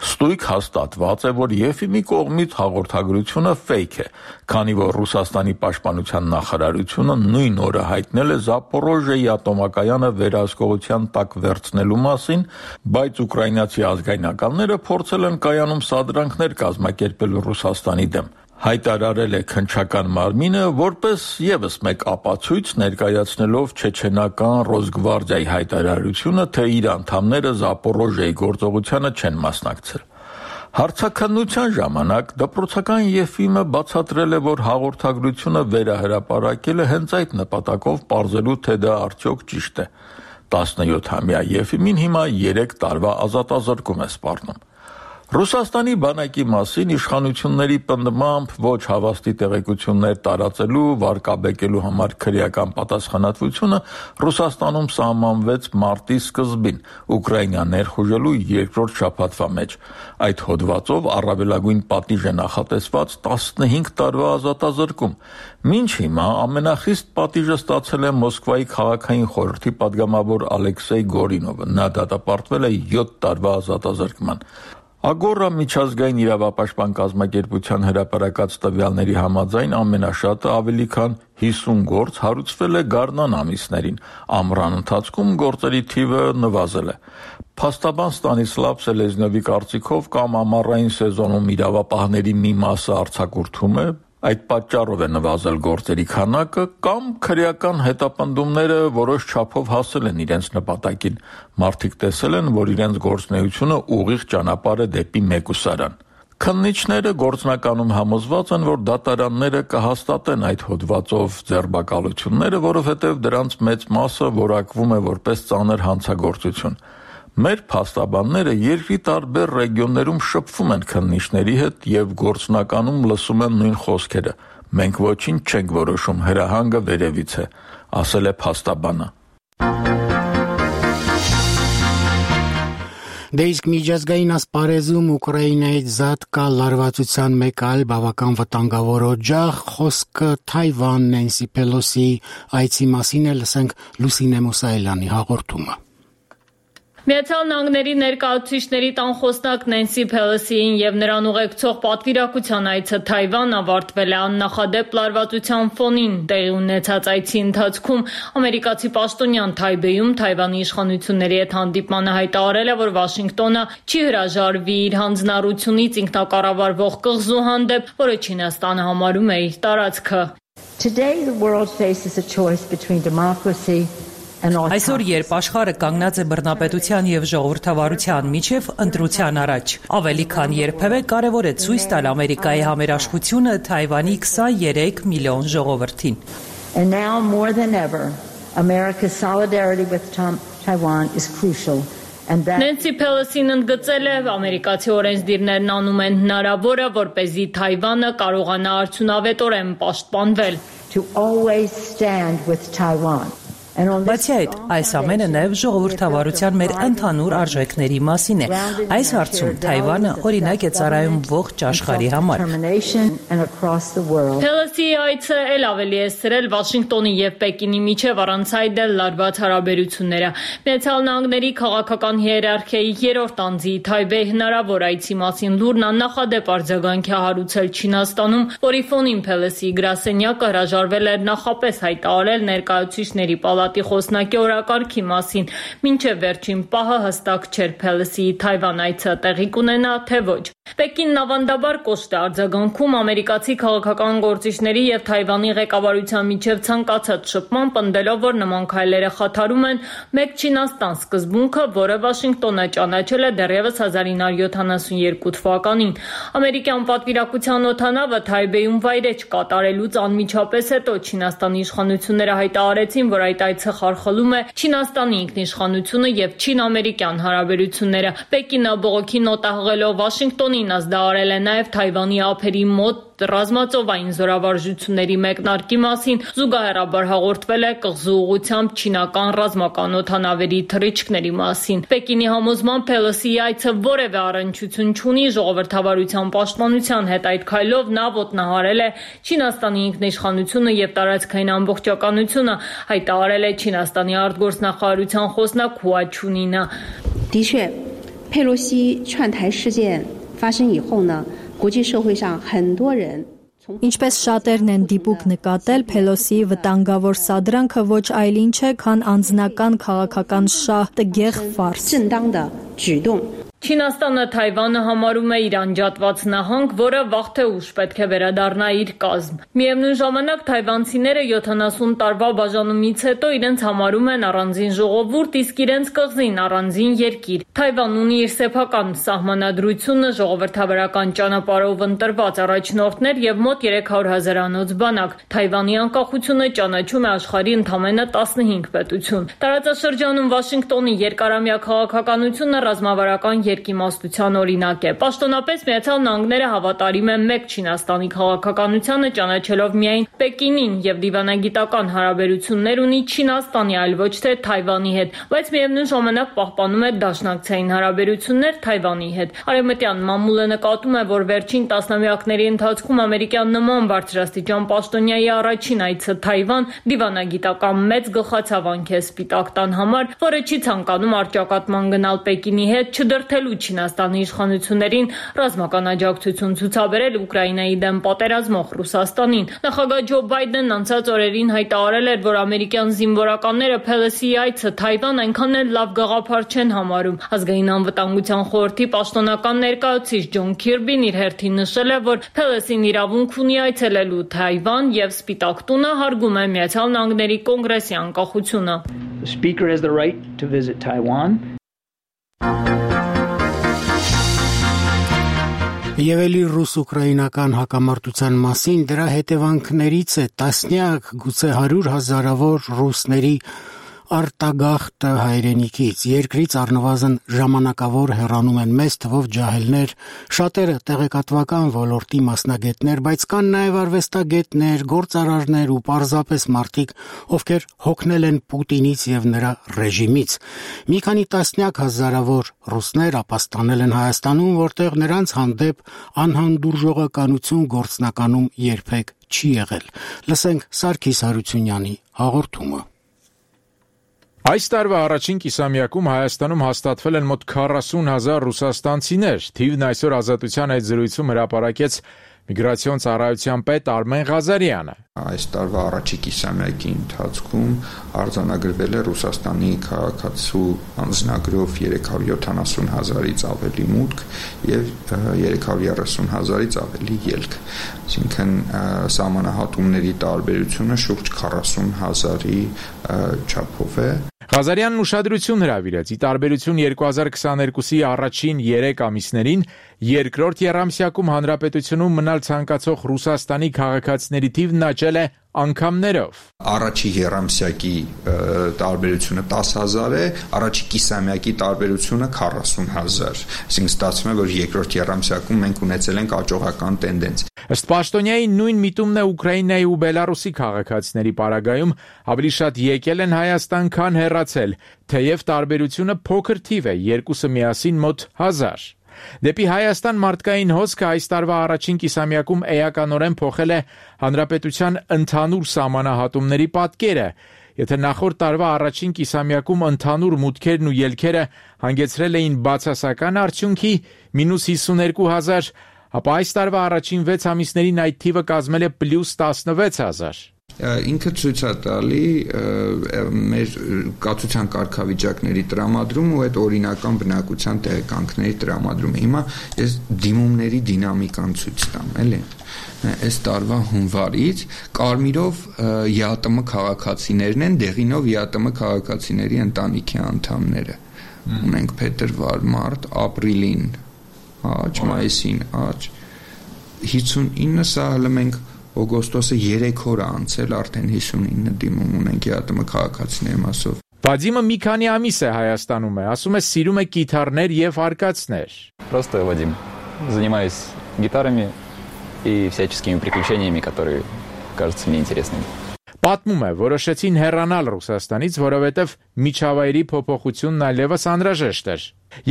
Ստույգ հաստատված է, որ Եֆիմի կողմից հաղորդագրությունը ֆեյք է, քանի որ Ռուսաստանի պաշտպանության նախարարությունը նույն օրը հայտնել է Զապորոժիեի ատոմակայանը վերահսկողության տակ վերցնելու մասին, բայց ուկրաինացի ազգայնականները փորձել են կայանում սադրանքներ կազմակերպել Ռուսաստանի դեմ։ Հայտարարել է քննչական մարմինը որպես ևս մեկ ապացույց ներկայացնելով չեչենական Ռոսգվարդիայի հայտարարությունը, թե իր անդամները Զապորոժիեի գործողությանը չեն մասնակցել։ Հարցաքննության ժամանակ դպրոցական Եֆիմը բացատրել է, որ հաղորդագրությունը վերահրապարակել է հենց այդ նպատակով պարզելու, թե դա արդյոք ճիշտ է։ 17-ամյա Եֆիմին հիմա 3 տարվա ազատազրկում է սպառնում։ Ռուսաստանի բանակի մասին իշխանությունների պնդմամբ ոչ հավաստի տեղեկություններ տարածելու, վարկաբեկելու համար քրեական պատասխանատվությունը Ռուսաստանում սահմանվեց մարտի սկզբին Ուկրաինա ներխուժելու երկրորդ շաբաթվա մեջ։ Այդ հոդվածով առավելագույն պատիժ է նախատեսված 15 տարվա ազատազրկում։ Մինչ հիմա ամենախիստ պատիժը ստացել է Մոսկվայի քաղաքային խորհրդի падգամավոր Ալեքսեյ Գորինովը։ Նա դատապարտվել է 7 տարվա ազատազրկման։ Ագորա միջազգային իրավապաշտպան կազմակերպության հրապարակած տվյալների համաձայն ամենաշատը ավելի քան 50 գործ հարուցվել է գարնան ամիսներին, ամռան ընթացքում գործերի թիվը նվազել է։ Փաստաբան Ստանիսլավ Սելեզնյովի կարծիքով կամ ամառային սեզոնում իրավապահների մի մասը արձակուրդում է, այդ պատճառով է նվազել գործերի քանակը, կամ քրեական հետապնդումները որոշ չափով հասել են իրենց նպատակին։ Մարդիկ տեսել են, որ իրենց գործունեությունը ուղիղ ճանապարհ է դեպի մեկուսարան։ Քննիչները գործնականում համոզված են, որ դատարանները կհաստատեն այդ հոդվածով ձերբակալությունները, որովհետև դրանց մեծ մասը որակվում է որպես ծանր հանցագործություն։ Մեր փաստաբանները երկրի տարբեր ռեգիոններում շփվում են քննիչների հետ եւ գործնականում լսում են նույն խոսքերը. մենք ոչինչ չենք որոշում, հրահանգը վերևից է, ասել է փաստաբանը։
Դե իսկ միջազգային ասպարեզում Ուկրաինայից զատ կա լարվածության մեկ այլ բավական վտանգավոր օջախ, խոսքը Թայվան Նենսի Պելոսի այցի մասին է, լսենք Լուսինե Մուսայելյանի հաղորդումը։
Միացյալ Նահանգների ներկայացուցիչների տան խոսնակ Նենսի Պելոսիին եւ նրան ուղեկցող պատվիրակության այցը Թայվան ավարտվել է աննախադեպ լարվածության ֆոնին։ Տեղի ունեցած այցի ընթացքում ամերիկացի պաշտոնյան Թայբեյում Թայվանի իշխանությունների հետ հանդիպմանը հայտարարել է, որ Վաշինգտոնը չի հրաժարվի իր հանձնառությունից ինքնակառավարվող կղզու հանդեպ, որը Չինաստանը համարում է իր տարածքը։
Today the world faces a choice between democracy.
Այսօր, երբ աշխարհը կանգնած է բռնապետության եւ ժողովրդավարության միջև, ընտրության առաջ, ավելի քան երբևէ կարեւոր է ցույց տալ Ամերիկայի համերաշխությունը Թայվանի 23 միլիոն ժողովրդին։
And now more than ever, America's solidarity with Taiwan is crucial.
Նենսի Պելոսին ընդգծել է, ամերիկացի օրենսդիրներն անում են հնարավորը, որպեսզի Թայվանը կարողանա արդյունավետորեն պաշտպանվել։
To always stand with Taiwan.
Բացի այդ, այս ամենը նաև ժողովրդավարության մեր ընդհանուր արժեքների մասին է։ Այս հարցում Թայվանը օրինակ է ծառայում ողջ աշխարհի համար։
Պելոսիի այցը էլ ավելի է սրել Վաշինգտոնի եւ Պեկինի միջև առանց այդ էլ լարված հարաբերությունները։ Միացյալ Նահանգների քաղաքական հիերարխիայի երրորդ անձի Թայբեյ հնարավոր այցի մասին լուրն աննախադեպ արձագանք է հարուցել Չինաստանում, որի ֆոնին Պելոսիի գրասենյակը հրաժարվել էր նախապես հայտարարել ներկայացուցիչների պալատի խոսնակի օրակարգի մասին, մինչև վերջին պահը հստակ չէր Պելոսիի Թայվան այցը տեղի կունենա, թե ոչ։ Պեկինն ավանդաբար կոշտ է արձագանքում ամերիկացի քաղաքական գործիչների եւ Թայվանի ղեկավարության միջև ցանկացած շփման, պնդելով, որ նման քայլերը խաթարում են մեկ Չինաստան սկզբունքը, որը Վաշինգտոնը ճանաչել է դեռևս 1972 թվականին։ Ամերիկյան պատվիրակության օդանավը Թայբեյում վայրէջք կատարելուց անմիջապես հետո Չինաստանի իշխանությունները հայտարարեցին, որ այդ այցը խարխլում է Չինաստանի ինքնիշխանությունը եւ չին-ամերիկյան հարաբերությունները։ Պեկինը բողոքի նոտա հղելով Վաշինգտոնին ազդարարել է նաեւ Թայվանի ափերի մոտ ռազմածովային զորավարժությունների մեկնարկի մասին, զուգահեռաբար հաղորդվել է կղզու ուղղությամբ չինական ռազմական օդանավերի թռիչքների մասին։ Պեկինի համոզմամբ Պելոսիի այցը որևէ առնչություն չունի ժողովրդավարության պաշտպանության հետ, այդ քայլով նա ոտնահարել է Չինաստանի ինքնիշխանությունը եւ տարածքային ամբողջականությունը, հայտարարել է Չինաստանի արտգործնախարարության խոսնակ Հուա Չունինը։
的确，佩洛西劝台事件发生以后呢，国际社会上很多人
Ինչպես շատերն են դիպուկ նկատել, Պելոսիի վտանգավոր սադրանքը ոչ այլ ինչ է, քան անձնական քաղաքական շահ տգեղ ֆարս։
Չինաստանը Թայվանը համարում է իր անջատված նահանգ, որը վաղ թե ուշ պետք է վերադառնա իր կազմ։ Միևնույն ժամանակ թայվանցիները 70 տարվա բաժանումից հետո իրենց համարում են առանձին ժողովուրդ, իսկ իրենց կղզին առանձին երկիր։ Թայվանն ունի իր սեփական սահմանադրությունը, ժողովրդավարական ճանապարհով ընտրված առաջնորդներ եւ մոտ 300,000 անոց բանակ։ Թայվանի անկախությունը ճանաչում է աշխարհի ընդամենը 15 պետություն։ Տարածաշրջանում Վաշինգտոնի երկարամյա քաղաքականությունը ռազմավարական երկիմաստության օրինակ է։ Պաշտոնապես Միացյալ Նահանգները հավատարիմ է մեկ Չինաստանի քաղաքականությանը, ճանաչելով միայն Պեկինին եւ դիվանագիտական հարաբերություններ ունի Չինաստանի, այլ ոչ թե Թայվանի հետ, բայց միևնույն ժամանակ պահպանում է դաշնակցային հարաբերություններ Թայվանի հետ։ Արևմտյան մամուլը նկատում է, որ վերջին տասնամյակների ընթացքում ամերիկյան նման բարձրաստիճան պաշտոնյայի առաջին այցը Թայվան դիվանագիտական մեծ գլխացավանք է Սպիտակ տան համար, որը չի ցանկանում առճակատման գնալ Պեկինի հետ, չդրթելու Չինաստանի իշխանություններին ռազմական աջակցություն ցուցաբերել Ուկրաինայի դեմ պատերազմող Ռուսաստանին։ Նախագահ Ջո Բայդենն անցած օրերին հայտարարել էր, որ ամերիկյան զինվորականները Փելեսիի այցը Թայվան այնքան էլ լավ գաղափար չեն համարում։ Ազգային անվտանգության խորհրդի պաշտոնական ներկայացուցիչ Ջոն Քիրբին իր հերթին նշել է, որ Փելեսին իրավունք ունի այցելելու Թայվան եւ Սպիտակ տունը հարգում է Միացյալ Նահանգների կոնգրեսի անկախությունը։
The speaker has the right to visit Taiwan.
Եվ էլի ռուս-ուկրաինական հակամարտության մասին դրա հետևանքներից է տասնյակ, գուցե 100,000-ավոր ռուսների արտագաղթը հայրենիքից, երկրից առնվազն ժամանակավոր հեռանում են մեծ թվով ջահելներ, շատերը տեղեկատվական ոլորտի մասնագետներ, բայց կան նաև արվեստագետներ, գործարարներ ու պարզապես մարդիկ, ովքեր հոգնել են Պուտինից եւ նրա ռեժիմից։ Մի քանի տասնյակ հազարավոր ռուսներ ապաստանել են Հայաստանում, որտեղ նրանց հանդեպ անհանդուրժողականություն գործնականում երբեք չի եղել։ Լսենք Սարգիս Հարությունյանի հաղորդումը։
Այս տարվա առաջին կիսամյակում Հայաստանում հաստատվել են մոտ 40,000 ռուսաստանցիներ։ Թիվն այսօր Ազատության այդ զրույցում հրապարակեց Միգրացիոն ծառայության պետ Արմեն Ղազարյանը։
Այս տարվա առաջի կիսամյակի ընթացքում արձանագրվել է Ռուսաստանի քաղաքացու անձնագրով 370,000-ից ավելի մուտք եւ 330,000-ից ավելի ելք։ Այսինքն սահմանահատումների տարբերությունը շուրջ 40,000-ի չափով է։
Ղազարյանն ուշադրություն հրավիրեց՝ ի տարբերություն 2022-ի առաջին 3 ամիսներին, երկրորդ եռամսյակում հանրապետությունում մնալ ցանկացող Ռուսաստանի քաղաքացիների թիվն աճել է անգամներով։
Առաջի եռամսյակի տարբերությունը 10,000 է, առաջի կիսամյակի տարբերությունը 40,000։ Այսինքն ստացվում է, որ երկրորդ եռամսյակում մենք ունեցել ենք աճողական տենդենց։
Ըստ պաշտոնյայի նույն միտումն է Ուկրաինայի ու Բելարուսի քաղաքացիների պարագայում, ավելի շատ եկել են Հայաստան, քան հեռացել, թեև տարբերությունը փոքր թիվ է, երկուսը միասին մոտ 1000։ Դեպի Հայաստան մարդկային հոսքը այս տարվա առաջին կիսամյակում էականորեն փոխել է հանրապետության ընդհանուր սահմանահատումների պատկերը։ Եթե նախորդ տարվա առաջին կիսամյակում ընդհանուր մուտքերն ու ելքերը հանգեցրել էին բացասական արդյունքի -52,000, ապա այս տարվա առաջին 6 ամիսներին այդ թիվը կազմել է +16,000։
Ինքը ցույց է տալի մեր կացության կարգավիճակների տրամադրում ու այդ օրինական բնակության տեղեկանքների տրամադրումը։ Հիմա ես դիմումների դինամիկան ցույց տամ, էլի։ Այս տարվա հունվարից կարմիրով ԵԱՏՄ քաղաքացիներն են, դեղինով ԵԱՏՄ քաղաքացիների ընտանիքի անդամները։ Ունենք փետրվար, մարտ, ապրիլին աճ, մայիսին աճ, 59 սա հələ մենք օգոստոսը 3 օր անցել արդեն 59 դիմում ունենք ԵԱՏՄ քաղաքացիների մասով։
Վադիմը մի քանի ամիս է Հայաստանում է, ասում է սիրում է գիտարներ եւ արկածներ։
Просто Вадим, занимаюсь гитарами и всяческими приключениями, которые кажутся мне интересными։
Պատմում է, որոշեցին հեռանալ Ռուսաստանից, որովհետև միջավայրի փոփոխությունն այլևս անհրաժեշտ էր։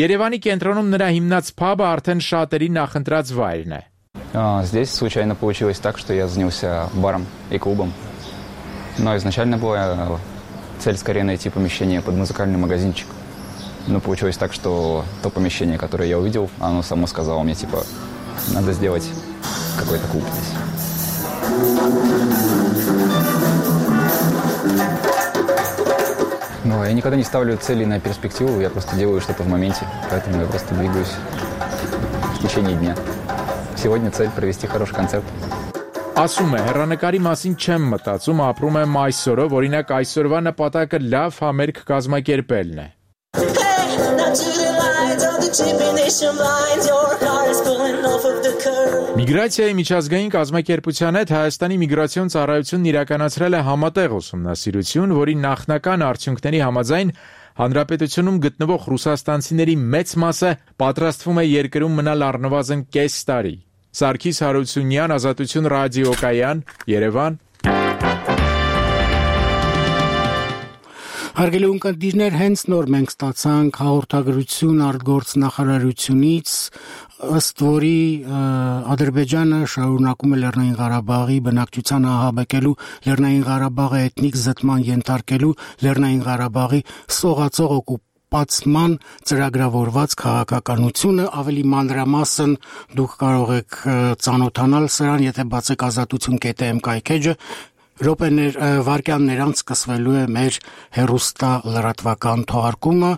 Երևանի կենտրոնում նրա հիմնած փաբը արդեն շատերի նախընտրած վայրն է։
Здесь случайно получилось так, что я занялся баром и клубом. Но изначально была цель скорее найти помещение под музыкальный магазинчик. Но получилось так, что то помещение, которое я увидел, оно само сказало мне, типа, надо сделать какой-то клуб здесь. Ну, я Я никогда не ставлю цели на перспективу, я просто делаю что-то в моменте, поэтому я просто двигаюсь в течение дня. Сегодня цель провести хороший концерт.
Ասում է, հեռանկարի մասին չեմ մտածում, ապրում եմ այսօրով, օրինակ այսօրվա նպատակը լավ համերգ կազմակերպելն է։ Միգրացիայի միջազգային կազմակերպության հետ Հայաստանի միգրացիոն ծառայությունն իրականացրել է համատեղ ուսումնասիրություն, որի նախնական արդյունքների համաձայն հանրապետությունում գտնվող ռուսաստանցիների մեծ մասը պատրաստվում է երկրում մնալ առնվազն կես տարի։ Սարգիս Հարությունյան, Ազատություն ռադիոկայան, Երևան։
Հարգելի ունկնդիրներ, հենց նոր մենք ստացանք հաղորդագրություն արտգործնախարարությունից, ըստ որի Ադրբեջանը շարունակում է Լեռնային Ղարաբաղի բնակչության ահաբեկելու, Լեռնային Ղարաբաղը էթնիկ զտման ենթարկելու, Լեռնային Ղարաբաղի սողացող օկուպացման ծրագրավորված քաղաքականությունը, ավելի մանրամասն դուք կարող եք ծանոթանալ սրան, եթե բացեք azatutun.am կայքեջը, վարկյաններ անց սկսվելու է մեր հեռուստա լրատվական թողարկումը,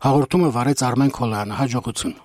հաղորդումը վարեց Արմեն Քոլյանը, հաջողություն։